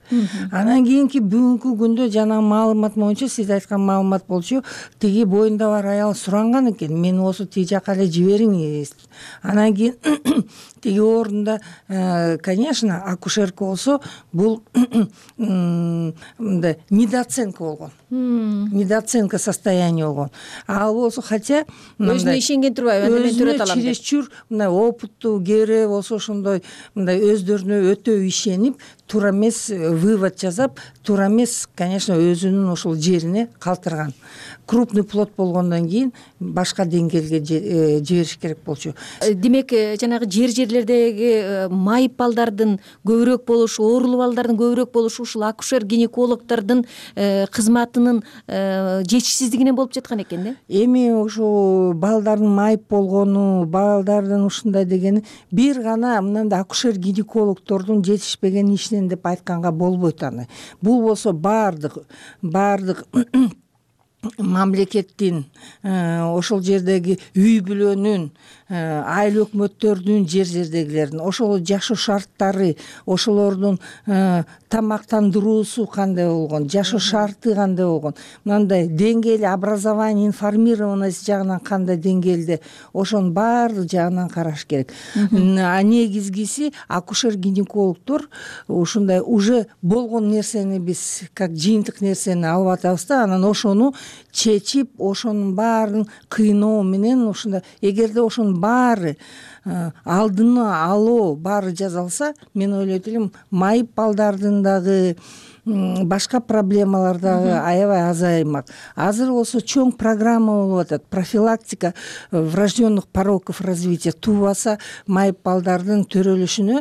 Анан кийинки бүгүнкү күндө жана маалымат боюнча, сиз айткан маалымат болчу, тиги боюнда бар аял суранган экен, мени болсо тиги жака эле жибериңиз. Анан кийин тиги орунда, конечно, акушерка болсо бул мындай недооценка болгон. Недооценка состояния болгон. Ал болсо, хотя өзүнө ишенген турбайбы, мен төрөт алам деп. Чересчур мындай опыттуу, кээре болсо ошондой мындай өздөрүнө өтө ишенип, туура эмес вывод жасап, туура эмес, конечно, өзүнүн ошол жерине калтырган. Крупный плод болгондон кийин башка деңгээлге жибериш керек болчу. Демек, жанагы жер жерлердеги майып балдардын көбүрөөк болушу, оорулуу балдардын көбүрөөк болушу ушул акушер гинекологдордун кызматынын жетишсиздигинен болуп жаткан экен да. Эми ушу балдардын майып болгону, балдардын ушундай дегени бир гана мындай акушер гинекологдордун жетишпеген ишинен деп айтканга болбойт аны. Бул болсо баардык баардык мамлекеттин, ошол жердеги үй бүлөнүн, айыл өкмөттөрдүн, жер жердегилердин ошол жашоо шарттары, ошолордун тамактандыруусу кандай болгон, жашоо шарты кандай болгон, мындай деңгээли образование, информированность жагынан кандай деңгээлде, ошонун баардык жагынан караш керек. А негизгиси акушер-гинекологдор ушундай уже болгон нерсени биз как жыйынтык нерсени алып атабыз да, анан ошону чечип, ошонун баарын кыйноо менен ушундай, эгерде ошонун баары алдыны алуу баары жасалса, мен ойлойт элем майып балдардын дагы башка проблемалар дагы аябай азаймак. Азыр болсо чоң программа болуп атат, профилактика врожденных пороков развития, туубаса майып балдардын төрөлүшүнө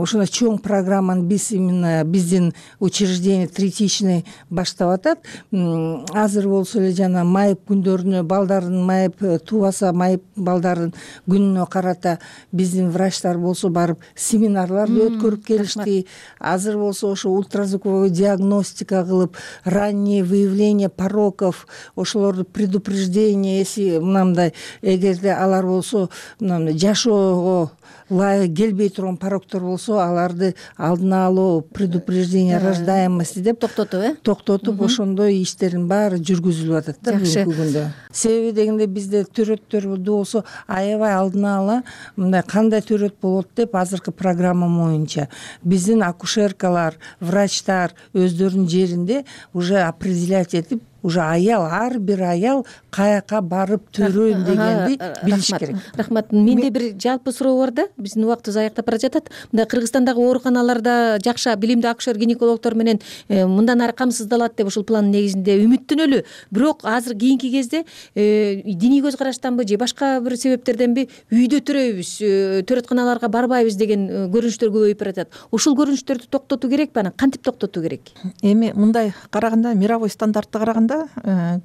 ушундай чоң программаны биз именно биздин учреждение третичный баштап атат. Азыр болсо эле жана майып күндөрүнө, балдардын майып, туубаса майып балдардын күнүнө карата биздин врачтар болсо барып семинарларды өткөрүп келишти. Азыр болсо ошо ультразвуковой диагностика кылып, раннее выявление пороков, ошолорду предупреждение, если мындай, эгерде алар болсо мындай жашоого ылайык келбей турган пороктор болсо, аларды алдын алуу, предупреждение рождаемости деп токтотуп, э? Токтотуп, ошондой иштердин баары жүргүзүлүп атат да бүгүнкү күндө. Себеби дегенде бизде төрөттөр болсо аябай алдын ала мындай кандай төрөт болот деп азыркы программа боюнча биздин акушеркалар, врачтар өздөрүнүн жеринде уже определять этип, уже аял, ар бир аял каяка барып төрөйм дегенди билиш керек. Рахмат. Менде бир жалпы суроо бар да, биздин убактыбыз аяктап бара жатат. Мындай Кыргызстандагы ооруканаларда жакшы билимдүү акушер гинекологдор менен мындан ары камсыздалат деп ушул пландын негизинде үмүттөнөлү. Бирок азыр кийинки кезде диний көз караштанбы же башка бир себептерденби үйдө төрөйбүз, төрөтканаларга барбайбыз деген көрүнүштөр көбөйүп баратат. Ушул көрүнүштөрдү токтотуу керекпи? Анан кантип токтотуу керек? Эми мындай караганда, мировой стандартты караганда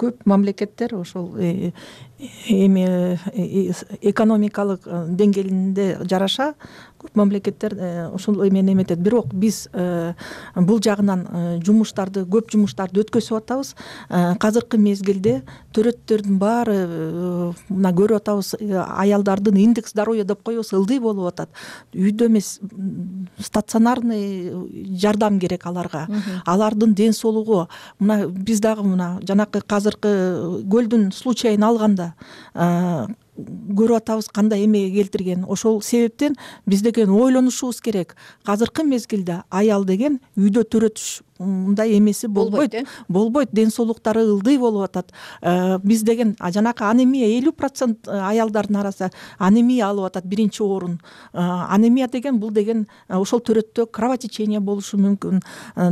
көп мамлекеттер ошол эми экономикалык деңгээлинде жараша көп мамлекеттер ошол эмени эметет. Бирок биз бул жагынан жумуштарды, көп жумуштарды өткөзүп атабыз. Азыркы мезгилде төрөттөрдүн баары мына көрүп атабыз, аялдардын индекс здоровья деп коебуз, ылдый болуп атат. Үйдө эмес, стационарный жардам керек аларга. Алардын ден соолугу, мына биз дагы мына жанакы азыркы көлдүн случайын алганда көрүп атабыз кандай эмеге келтирген. Ошол себептен биз деген ойлонушубуз керек. Азыркы мезгилде аял деген үйдө төрөтүш мындай эмеси болбойт болбойт ден соолуктары ылдый болуп атат. Биз деген жанакы анемия элүү процент аялдардын арасында анемия алып атат биринчи орун. Анемия деген бул деген ошол төрөттө кровотечение болушу мүмкүн,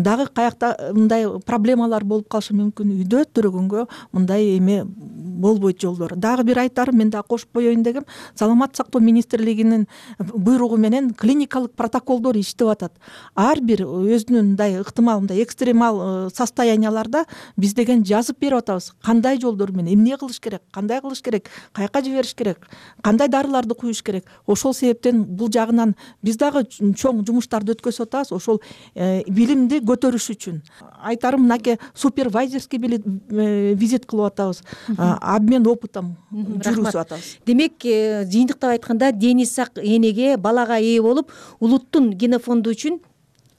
дагы каякта мындай проблемалар болуп калышы мүмкүн. Үйдө төрөгөнгө мындай эме болбойт жолдору. Дагы бир айтарым мен дагы кошуп коеюн дегем, саламаттык сактоо министрлигинин буйругу менен клиникалык протоколдор иштеп атат. Ар бир өзүнүн мындай ыктымал мындай экстремал состоянияларда биз деген жазып берип атабыз. Кандай жолдор менен эмне кылыш керек, кандай кылыш керек, каяка жибериш керек, кандай дарыларды куюш керек. Ошол себептен бул жагынан биз дагы чоң жумуштарды өткөзүп атабыз ошол билимди көтөрүш үчүн. Айтарым мынакей супервайзерский визит кылып атабыз, обмен опытом жүргүзүп атабыз. Демек, жыйынтыктап айтканда дени сак энеге, балага ээ болуп, улуттун генофонду үчүн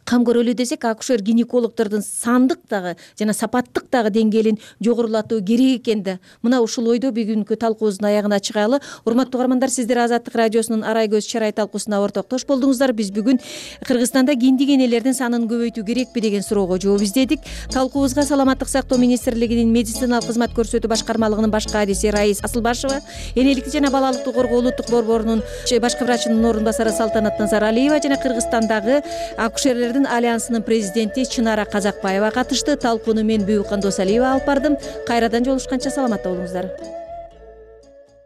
кам көрөлү десек, акушер гинекологдордун сандык дагы жана сапаттык дагы деңгээлин жогорулатуу керек экен да. Мына ушул ойдо бүгүнкү талкуубуздун аягына чыгалы. Урматтуу угармандар, сиздер Азаттык радиосунун Арай көз чарай талкуусуна ортоктош болдуңуздар. Биз бүгүн Кыргызстанда киндик энелердин санын көбөйтүү керекпи деген суроого жооп издедик. Талкуубузга Саламаттык сактоо министрлигинин медициналык кызмат көрсөтүү башкармалыгынын башкы адиси Раис Асылбашева, энеликти жана балалыкты коргоо улуттук борборунун башкы врачынын орун басары Салтанат Назаралиева жана Кыргызстандагы акушерлердин альянсынын президенти Чынара Казакбаева катышты. Талкууну мен Бүйүкан Досалиева алып бардым. Кайрадан жолугушканча саламатта болуңуздар.